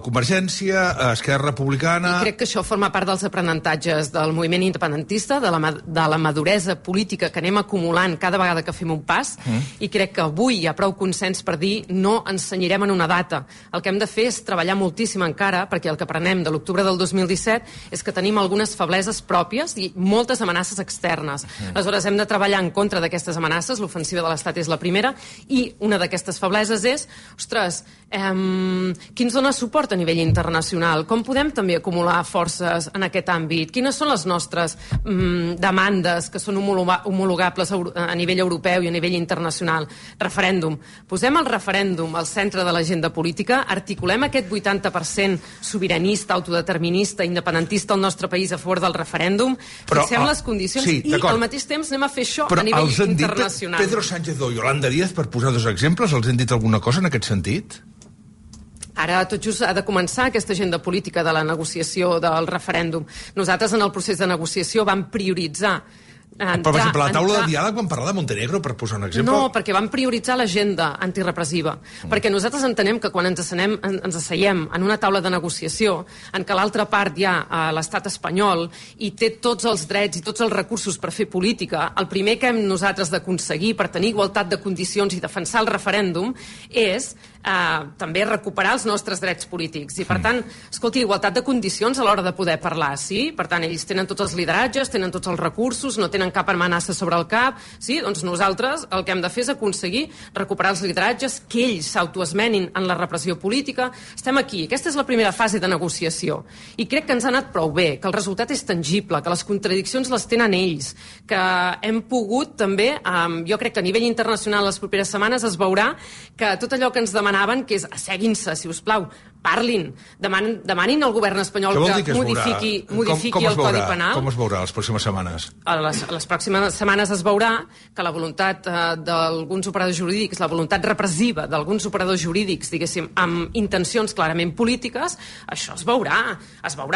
Convergència, Esquerra Republicana... I crec que això forma part dels aprenentatges del moviment independentista, de la maduresa política que anem acumulant cada vegada que fem un pas, i crec que avui hi ha prou consens per dir no ens cenyirem en una data. El que hem de fer és treballar moltíssim encara, perquè el que aprenem de l'octubre del 2017 és que tenim algunes febleses pròpies i moltes amenaces externes. Aleshores, hem de treballar en contra d'aquestes amenaces, l'ofensiva de l'Estat és la primera, i una d'aquestes febleses és, ostres, qui ens dona suport a nivell internacional? Com podem també acumular forces en aquest àmbit? Quines són les nostres demandes que són homologables a nivell europeu i a nivell internacional? Referèndum. Posem el referèndum al centre de l'agenda política, articulem aquest 80% sobiranista, autodeterminista, independentista al nostre país a favor del referèndum, fixem les condicions i al mateix temps anem a fer això a nivell internacional. Pedro Sánchez o Yolanda Díaz, per posar dos exemples, els han dit alguna cosa en aquest sentit? Ara tot just ha de començar aquesta agenda política de la negociació del referèndum. Nosaltres en el procés de negociació vam prioritzar per exemple, la taula de diàleg van parlar de Montenegro, per posar un exemple? No, perquè van prioritzar l'agenda antirepressiva. Perquè nosaltres entenem que quan ens asseiem en una taula de negociació en què l'altra part hi ha l'estat espanyol i té tots els drets i tots els recursos per fer política, el primer que hem nosaltres d'aconseguir per tenir igualtat de condicions i defensar el referèndum és també recuperar els nostres drets polítics. I per tant, escolti, igualtat de condicions a l'hora de poder parlar, sí? Per tant, ells tenen tots els lideratges, tenen tots els recursos, no tenen cap amenaça sobre el cap, sí? Doncs nosaltres el que hem de fer és aconseguir recuperar els lideratges, que ells s'autoesmenin en la repressió política. Estem aquí. Aquesta és la primera fase de negociació. I crec que ens ha anat prou bé, que el resultat és tangible, que les contradiccions les tenen ells, que hem pogut també, jo crec que a nivell internacional les properes setmanes es veurà que tot allò que ens demanaven, que és asseguin-se, si us plau, parlin, demanin al govern espanyol que modifiqui el Codi Penal. Com es veurà les pròximes setmanes? Les pròximes setmanes es veurà que la voluntat d'alguns operadors jurídics, la voluntat repressiva d'alguns operadors jurídics, diguéssim, amb intencions clarament polítiques, això es veurà,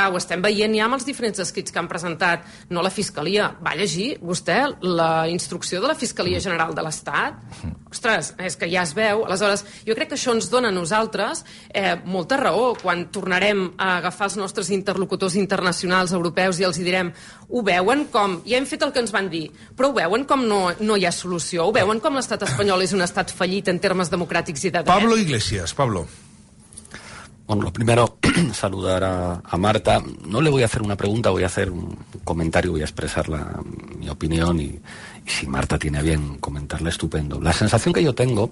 ho estem veient ja amb els diferents escrits que han presentat, no la Fiscalia. Va llegir vostè la instrucció de la Fiscalia General de l'Estat? Ostres, és que ja es veu. Aleshores, jo crec que això ens dona a nosaltres molta raó quan tornarem a agafar els nostres interlocutors internacionals europeus i els hi direm, ho veuen com, ja hem fet el que ens van dir, però ho veuen com no hi ha solució, ho veuen com l'estat espanyol és un estat fallit en termes democràtics i de dret. Pablo Iglesias, Pablo. Bueno, lo primero, saludar a Marta. No le voy a hacer una pregunta, voy a hacer un comentario, voy a expresar mi opinión y si Marta tiene a bien comentarla, estupendo. La sensación que yo tengo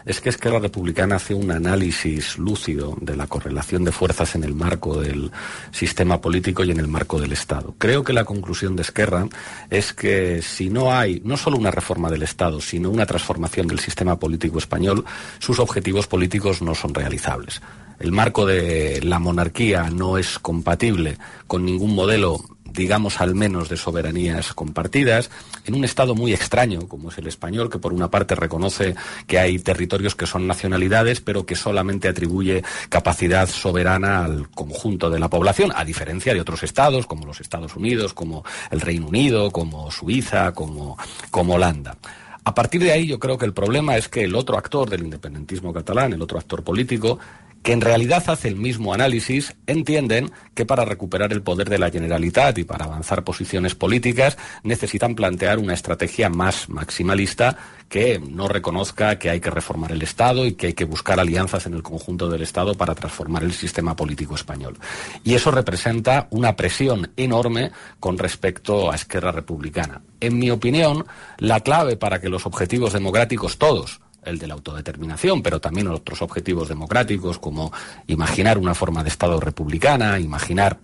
es que Esquerra Republicana hace un análisis lúcido de la correlación de fuerzas en el marco del sistema político y en el marco del Estado. Creo que la conclusión de Esquerra es que si no hay no solo una reforma del Estado, sino una transformación del sistema político español, sus objetivos políticos no son realizables. El marco de la monarquía no es compatible con ningún modelo, digamos al menos de soberanías compartidas, en un Estado muy extraño como es el español, que por una parte reconoce que hay territorios que son nacionalidades, pero que solamente atribuye capacidad soberana al conjunto de la población, a diferencia de otros estados, como los Estados Unidos, como el Reino Unido, como Suiza, como Holanda. A partir de ahí yo creo que el problema es que el otro actor del independentismo catalán, el otro actor político, que en realidad hace el mismo análisis, entienden que para recuperar el poder de la Generalitat y para avanzar posiciones políticas necesitan plantear una estrategia más maximalista que no reconozca que hay que reformar el Estado y que hay que buscar alianzas en el conjunto del Estado para transformar el sistema político español. Y eso representa una presión enorme con respecto a Esquerra Republicana. En mi opinión, la clave para que los objetivos democráticos todos, el de la autodeterminación, pero también otros objetivos democráticos como imaginar una forma de Estado republicana, imaginar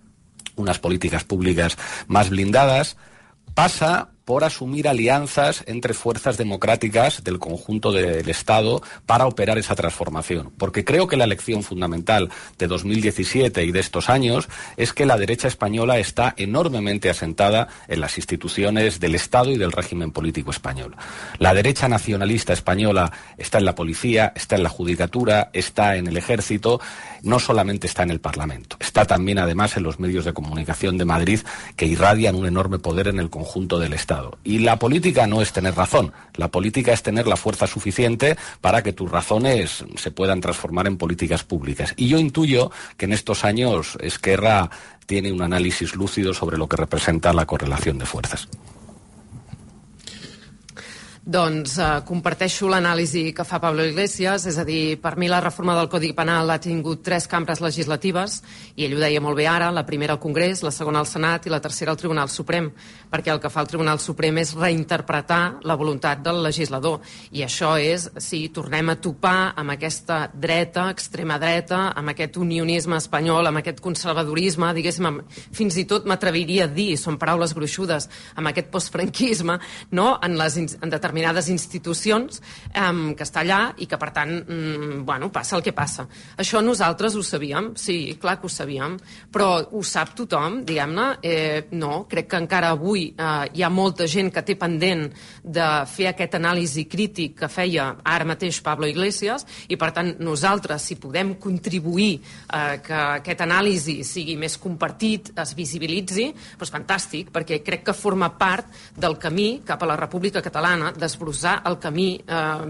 unas políticas públicas más blindadas, pasa por asumir alianzas entre fuerzas democráticas del conjunto del Estado para operar esa transformación. Porque creo que la lección fundamental de 2017 y de estos años es que la derecha española está enormemente asentada en las instituciones del Estado y del régimen político español. La derecha nacionalista española está en la policía, está en la judicatura, está en el ejército, no solamente está en el Parlamento. Está también, además, en los medios de comunicación de Madrid que irradian un enorme poder en el conjunto del Estado. Estado. Y la política no es tener razón, la política es tener la fuerza suficiente para que tus razones se puedan transformar en políticas públicas. Y yo intuyo que en estos años Esquerra tiene un análisis lúcido sobre lo que representa la correlación de fuerzas. Doncs comparteixo l'anàlisi que fa Pablo Iglesias, és a dir, per mi la reforma del Codi Penal ha tingut 3 cambres legislatives, i ell ho deia molt bé ara, la primera al Congrés, la segona al Senat i la tercera al Tribunal Suprem, perquè el que fa el Tribunal Suprem és reinterpretar la voluntat del legislador, i això és, si tornem a topar amb aquesta dreta, extrema dreta, amb aquest unionisme espanyol, amb aquest conservadorisme, diguéssim, fins i tot m'atreviria a dir, són paraules gruixudes, amb aquest postfranquisme, no?, en determinades institucions que està allà i que, per tant, passa el que passa. Això nosaltres ho sabíem, sí, clar que ho sabíem, però ho sap tothom, diguem-ne? No, crec que encara avui hi ha molta gent que té pendent de fer aquest anàlisi crític que feia ara mateix Pablo Iglesias, i, per tant, nosaltres, si podem contribuir que aquest anàlisi sigui més compartit, es visibilitzi, doncs fantàstic, perquè crec que forma part del camí cap a la República Catalana, desbrossar el camí,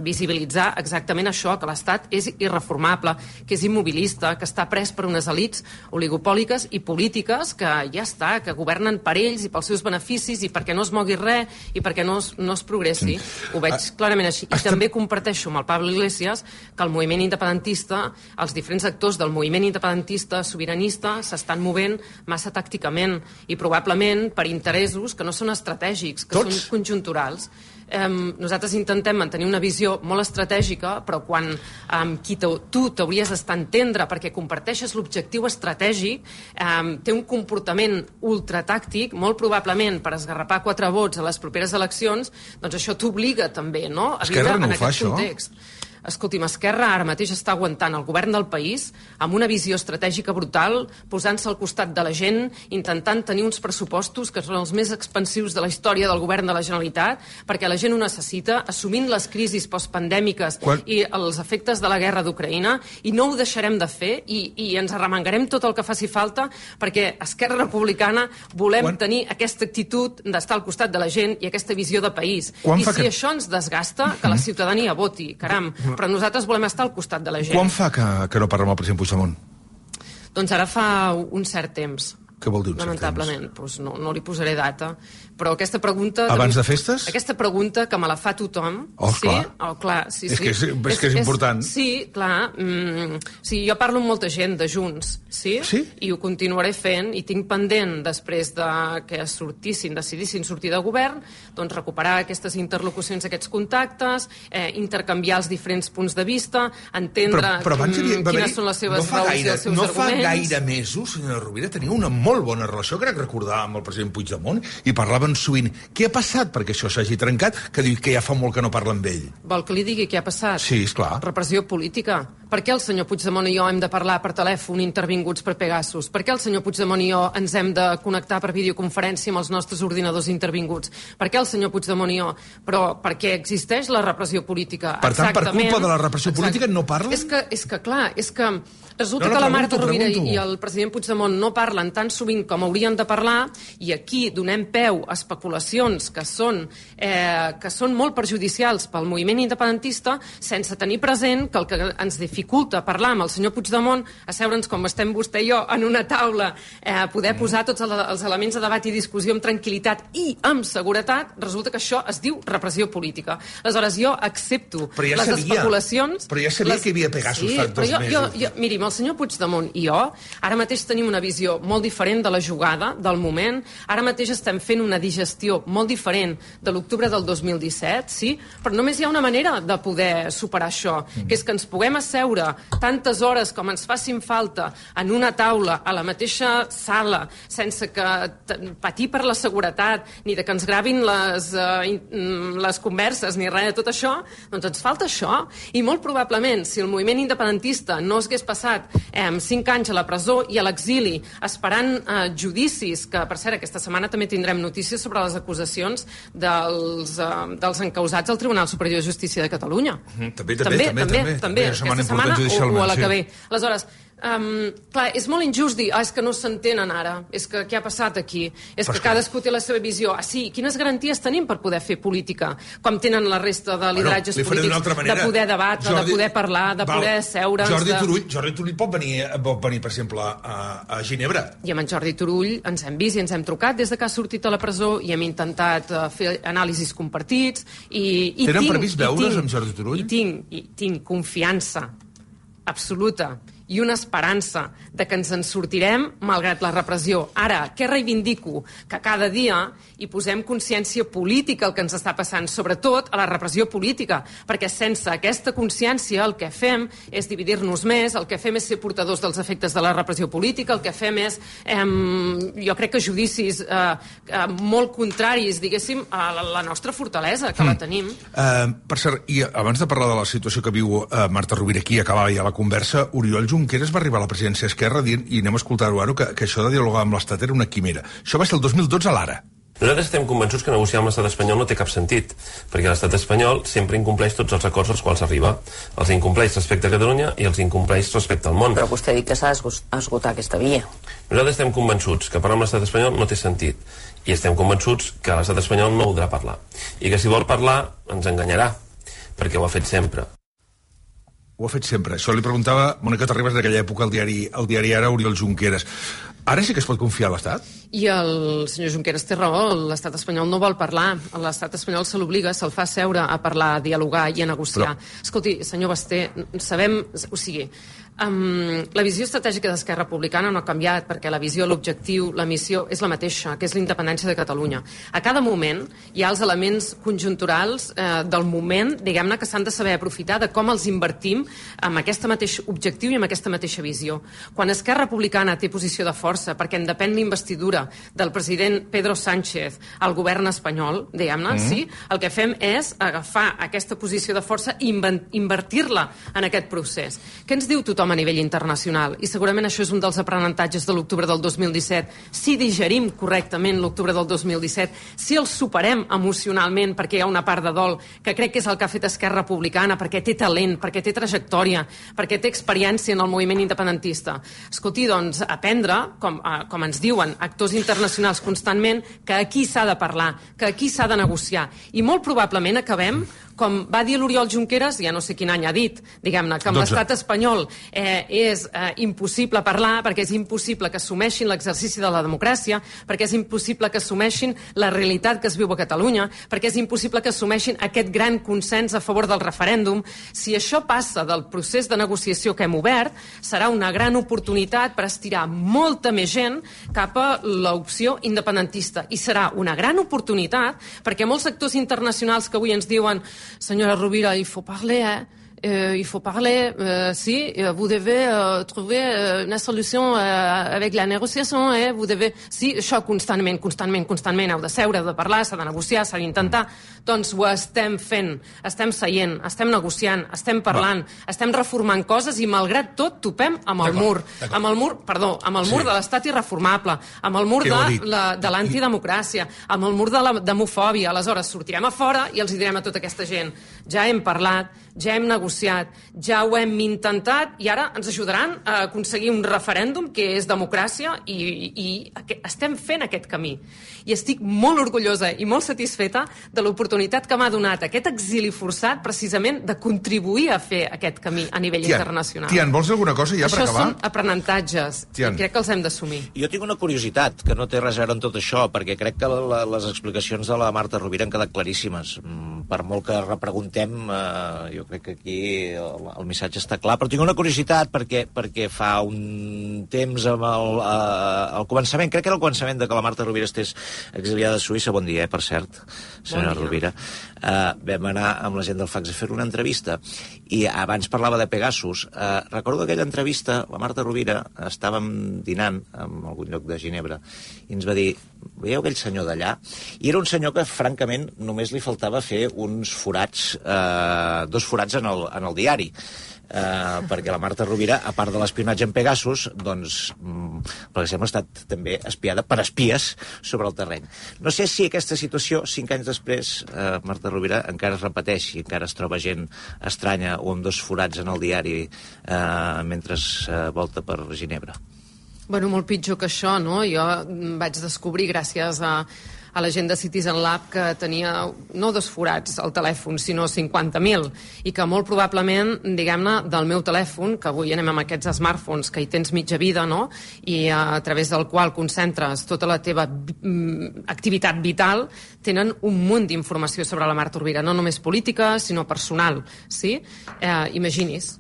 visibilitzar exactament això, que l'Estat és irreformable, que és immobilista, que està pres per unes elits oligopòliques i polítiques que ja està, que governen per ells i pels seus beneficis i perquè no es mogui res i perquè no es progressi. Ho veig clarament així. I també comparteixo amb el Pablo Iglesias que el moviment independentista, els diferents actors del moviment independentista sobiranista s'estan movent massa tàcticament i probablement per interessos que no són estratègics, que són conjunturals. Nosaltres intentem mantenir una visió molt estratègica, però quan qui tu t'hauries d'estar entendre perquè comparteixes l'objectiu estratègic, té un comportament ultratàctic, molt probablement per esgarrapar 4 vots a les properes eleccions, doncs això t'obliga també, no?, a viure en aquest context. Escolti'm, Esquerra ara mateix està aguantant el govern del país amb una visió estratègica brutal, posant-se al costat de la gent, intentant tenir uns pressupostos que són els més expansius de la història del govern de la Generalitat, perquè la gent ho necessita, assumint les crisis postpandèmiques i els efectes de la guerra d'Ucraïna, i no ho deixarem de fer, i ens arremangarem tot el que faci falta, perquè Esquerra Republicana volem tenir aquesta actitud d'estar al costat de la gent i aquesta visió de país. I si això ens desgasta, que la ciutadania voti, caram, però nosaltres volem estar al costat de la gent. Quan fa que no parlem amb el president Puigdemont? Doncs ara fa un cert temps. Què vol dir un cert temps? Lamentablement, doncs no li posaré data, però aquesta pregunta... Abans de festes? Aquesta pregunta que me la fa tothom... Clar. Sí. És que és important. Sí, clar. Sí, jo parlo amb molta gent de Junts, sí? I ho continuaré fent, i tinc pendent, després que decidissin sortir de govern, doncs recuperar aquestes interlocucions, aquests contactes, intercanviar els diferents punts de vista, entendre quines són les seves raons i els seus arguments. No fa gaire mesos, senyora Rovira, tenia una molt bona relació, crec recordar, amb el president Puigdemont, i parlaven sovint. Què ha passat perquè això s'hagi trencat? Que diu que ja fa molt que no parla amb ell. Vol que li digui què ha passat? Sí, esclar. Repressió política. Per què el senyor Puigdemont i jo hem de parlar per telèfon intervinguts per Pegasus? Per què el senyor Puigdemont i jo ens hem de connectar per videoconferència amb els nostres ordinadors intervinguts? Per què el senyor Puigdemont i jo? Però perquè existeix la repressió política. Per tant, per culpa de la repressió política no parlen? És que clar, és que resulta que la Marta Rovira i el president Puigdemont no parlen tan sovint com haurien de parlar, i aquí donem peu a especulacions que són molt perjudicials pel moviment independentista, sense tenir present que el que ens dificulta parlar amb el senyor Puigdemont, asseure'ns com estem vostè i jo en una taula, poder posar tots els elements de debat i discussió amb tranquil·litat i amb seguretat, resulta que això es diu repressió política. Aleshores, jo accepto les especulacions... Però ja sabia que hi havia Pegasus fa 2 mesos. Miri, amb el senyor Puigdemont i jo, ara mateix tenim una visió molt diferent de la jugada, del moment. Ara mateix estem fent una digestió molt diferent de l'octubre del 2017, sí? Però només hi ha una manera de poder superar això, que és que ens puguem asseure tantes hores com ens facin falta en una taula, a la mateixa sala, sense que patir per la seguretat, ni de que ens gravin les converses, ni res de tot això, doncs ens falta això. I molt probablement, si el moviment independentista no hagués passat 5 anys a la presó i a l'exili, esperant judicis, que per cert aquesta setmana també tindrem notícies sobre les acusacions dels encausats al Tribunal Superior de Justícia de Catalunya. També. Aquesta setmana o a la que ve. Aleshores, Clar, és molt injust dir, és que no s'entenen ara, és que què ha passat aquí, és que cadascú té la seva visió. Sí, quines garanties tenim per poder fer política, com tenen la resta de lideratges polítics, de poder debatre, de poder parlar, de poder seure'ns... Jordi Turull pot venir, per exemple, a Ginebra. I amb en Jordi Turull ens hem vist i ens hem trucat des de que ha sortit a la presó i hem intentat fer anàlisis compartits i tenen previst veure's amb Jordi Turull? I tinc confiança absoluta i una esperança de que ens en sortirem malgrat la repressió. Ara, què reivindico? Que cada dia hi posem consciència política al que ens està passant, sobretot a la repressió política, perquè sense aquesta consciència el que fem és dividir-nos més, el que fem és ser portadors dels efectes de la repressió política, el que fem és, jo crec que judicis molt contraris, diguéssim, a la nostra fortalesa, que la tenim. Per cert, i abans de parlar de la situació que viu Marta Rovira aquí, acabava ja la conversa, Oriol Junqueras va arribar a la presidència d'Esquerra dient, i anem a escoltar-ho ara, que això de dialogar amb l'Estat era una quimera. Això va ser el 2012 a l'Ara. Nosaltres estem convençuts que negociar amb l'estat espanyol no té cap sentit, perquè l'estat espanyol sempre incompleix tots els acords als quals arriba. Els incompleix respecte a Catalunya i els incompleix respecte al món. Però vostè ha dit que s'ha d'esgotar aquesta via. Nosaltres estem convençuts que parlar amb l'estat espanyol no té sentit, i estem convençuts que l'estat espanyol no voldrà parlar, i que si vol parlar ens enganyarà, perquè ho ha fet sempre. Ho ha fet sempre. Això li preguntava Mònica Terribas d'aquella època al diari Ara, Oriol Junqueras. Ara sí que es pot confiar a l'Estat? I el senyor Junqueras té raó, l'estat espanyol no vol parlar, l'estat espanyol se l'obliga, se'l fa seure a parlar, a dialogar i a negociar. Escolti, senyor Basté, sabem... O sigui, la visió estratègica d'Esquerra Republicana no ha canviat, perquè la visió, l'objectiu, la missió és la mateixa, que és la independència de Catalunya. A cada moment hi ha els elements conjunturals del moment, diguem-ne, que s'han de saber aprofitar de com els invertim amb aquest mateix objectiu i amb aquesta mateixa visió. Quan Esquerra Republicana té posició de força, perquè en depèn l'investidura del president Pedro Sánchez al govern espanyol, diguem-ne, sí, el que fem és agafar aquesta posició de força i invertir-la en aquest procés. Què ens diu tothom a nivell internacional? I segurament això és un dels aprenentatges de l'octubre del 2017. Si digerim correctament l'octubre del 2017, si el superem emocionalment, perquè hi ha una part de dol, que crec que és el que ha fet Esquerra Republicana, perquè té talent, perquè té trajectòria, perquè té experiència en el moviment independentista. Escolti, doncs, aprendre, com ens diuen actors internacionals constantment, que aquí s'ha de parlar, que aquí s'ha de negociar. I molt probablement acabem com va dir l'Oriol Junqueras, ja no sé quin any ha dit, diguem-ne, que amb l'estat espanyol és impossible parlar, perquè és impossible que assumeixin l'exercici de la democràcia, perquè és impossible que assumeixin la realitat que es viu a Catalunya, perquè és impossible que assumeixin aquest gran consens a favor del referèndum. Si això passa del procés de negociació que hem obert, serà una gran oportunitat per estirar molta més gent cap a l'opció independentista. I serà una gran oportunitat perquè molts actors internacionals que avui ens diuen Señora Rovira, il faut parler, il faut parler, si, vous devez trouver una solució avec la negociació, vous devez... Sí, això constantment, heu de seure, heu de parlar, s'ha de negociar, s'ha d'intentar. Doncs ho estem fent, estem seient, estem negociant, estem parlant, estem reformant coses i malgrat tot topem amb el mur. Amb el mur de l'estat irreformable, amb el mur de l'antidemocràcia, amb el mur de la demofòbia. Aleshores, sortirem a fora i els direm a tota aquesta gent, ja hem parlat, ja hem negociat, ja ho hem intentat i ara ens ajudaran a aconseguir un referèndum que és democràcia i estem fent aquest camí. I estic molt orgullosa i molt satisfeta de l'oportunitat que m'ha donat aquest exili forçat precisament de contribuir a fer aquest camí a nivell internacional. Tian, vols dir alguna cosa ja per acabar? Això són aprenentatges i crec que els hem d'assumir. Jo tinc una curiositat que no té res a veure amb tot això, perquè crec que les explicacions de la Marta Rovira han quedat claríssimes. Per molt que repreguntem, jo crec que aquí el missatge està clar, però tinc una curiositat perquè fa un temps al començament, crec que era el començament de que la Marta Rovira estés exiliada a Suïssa. Bon dia, per cert, senyora Rovira. Vam anar amb la gent del Fax a fer una entrevista i abans parlava de Pegasus. Recordo aquella entrevista, la Marta Rovira estàvem dinant en algun lloc de Ginebra i ens va dir, veieu aquell senyor d'allà? I era un senyor que francament només li faltava fer uns forats, 2 forats en el diari. perquè la Marta Rovira, a part de l'espionatge en Pegasus, doncs, per exemple, ha estat també espiada per espies sobre el terreny. No sé si aquesta situació, 5 anys després, Marta Rovira encara es repeteix i encara es troba gent estranya o amb 2 forats en el diari mentre volta per Ginebra. Bueno, molt pitjor que això, no? Jo vaig descobrir, gràcies a la gent de Citizen Lab, que tenia no 2 forats al telèfon, sinó 50.000, i que molt probablement, diguem-ne, del meu telèfon, que avui anem amb aquests smartphones, que hi tens mitja vida, no?, i a través del qual concentres tota la teva activitat vital, tenen un munt d'informació sobre la Marta Rovira, no només política, sinó personal, sí? Imagini's.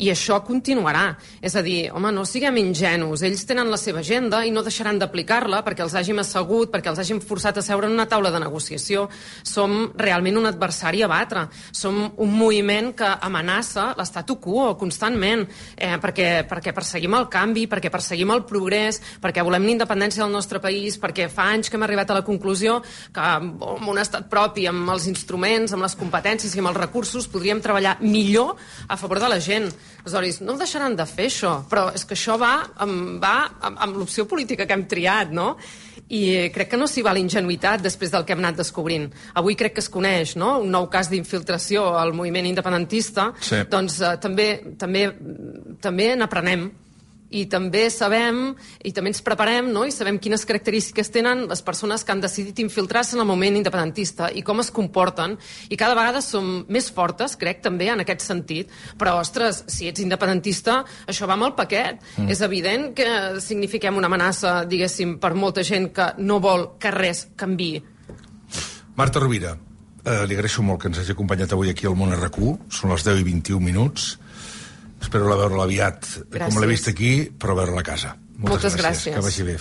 I això continuarà. És a dir, home, no siguem ingenus. Ells tenen la seva agenda i no deixaran d'aplicar-la perquè els hàgim assegut, perquè els hàgim forçat a seure en una taula de negociació. Som realment un adversari a batre. Som un moviment que amenaça l'statu quo constantment, perquè perseguim el canvi, perquè perseguim el progrés, perquè volem la independència del nostre país, perquè fa anys que hem arribat a la conclusió que amb un estat propi, amb els instruments, amb les competències i amb els recursos podríem treballar millor a favor de la gent. Aleshores, no deixaran de fer això, però és que això va amb l'opció política que hem triat, no? I crec que no s'hi va la ingenuïtat després del que hem anat descobrint. Avui crec que es coneix, no?, un nou cas d'infiltració al moviment independentista, sí. Doncs també n'aprenem. I també sabem, i també ens preparem, no?, i sabem quines característiques tenen les persones que han decidit infiltrar-se en el moviment independentista i com es comporten, i cada vegada som més fortes, crec, també, en aquest sentit. Però, ostres, si ets independentista, això va amb el paquet. És evident que signifiquem una amenaça, diguéssim, per molta gent que no vol que res canviï. Marta Rovira, li agraeixo molt que ens hagi acompanyat avui aquí al Món RQ. Són les 10:21 minuts. Espero veure-la aviat, com l'he vist aquí, però veure-la a casa. Moltes gràcies. Que vagi bé.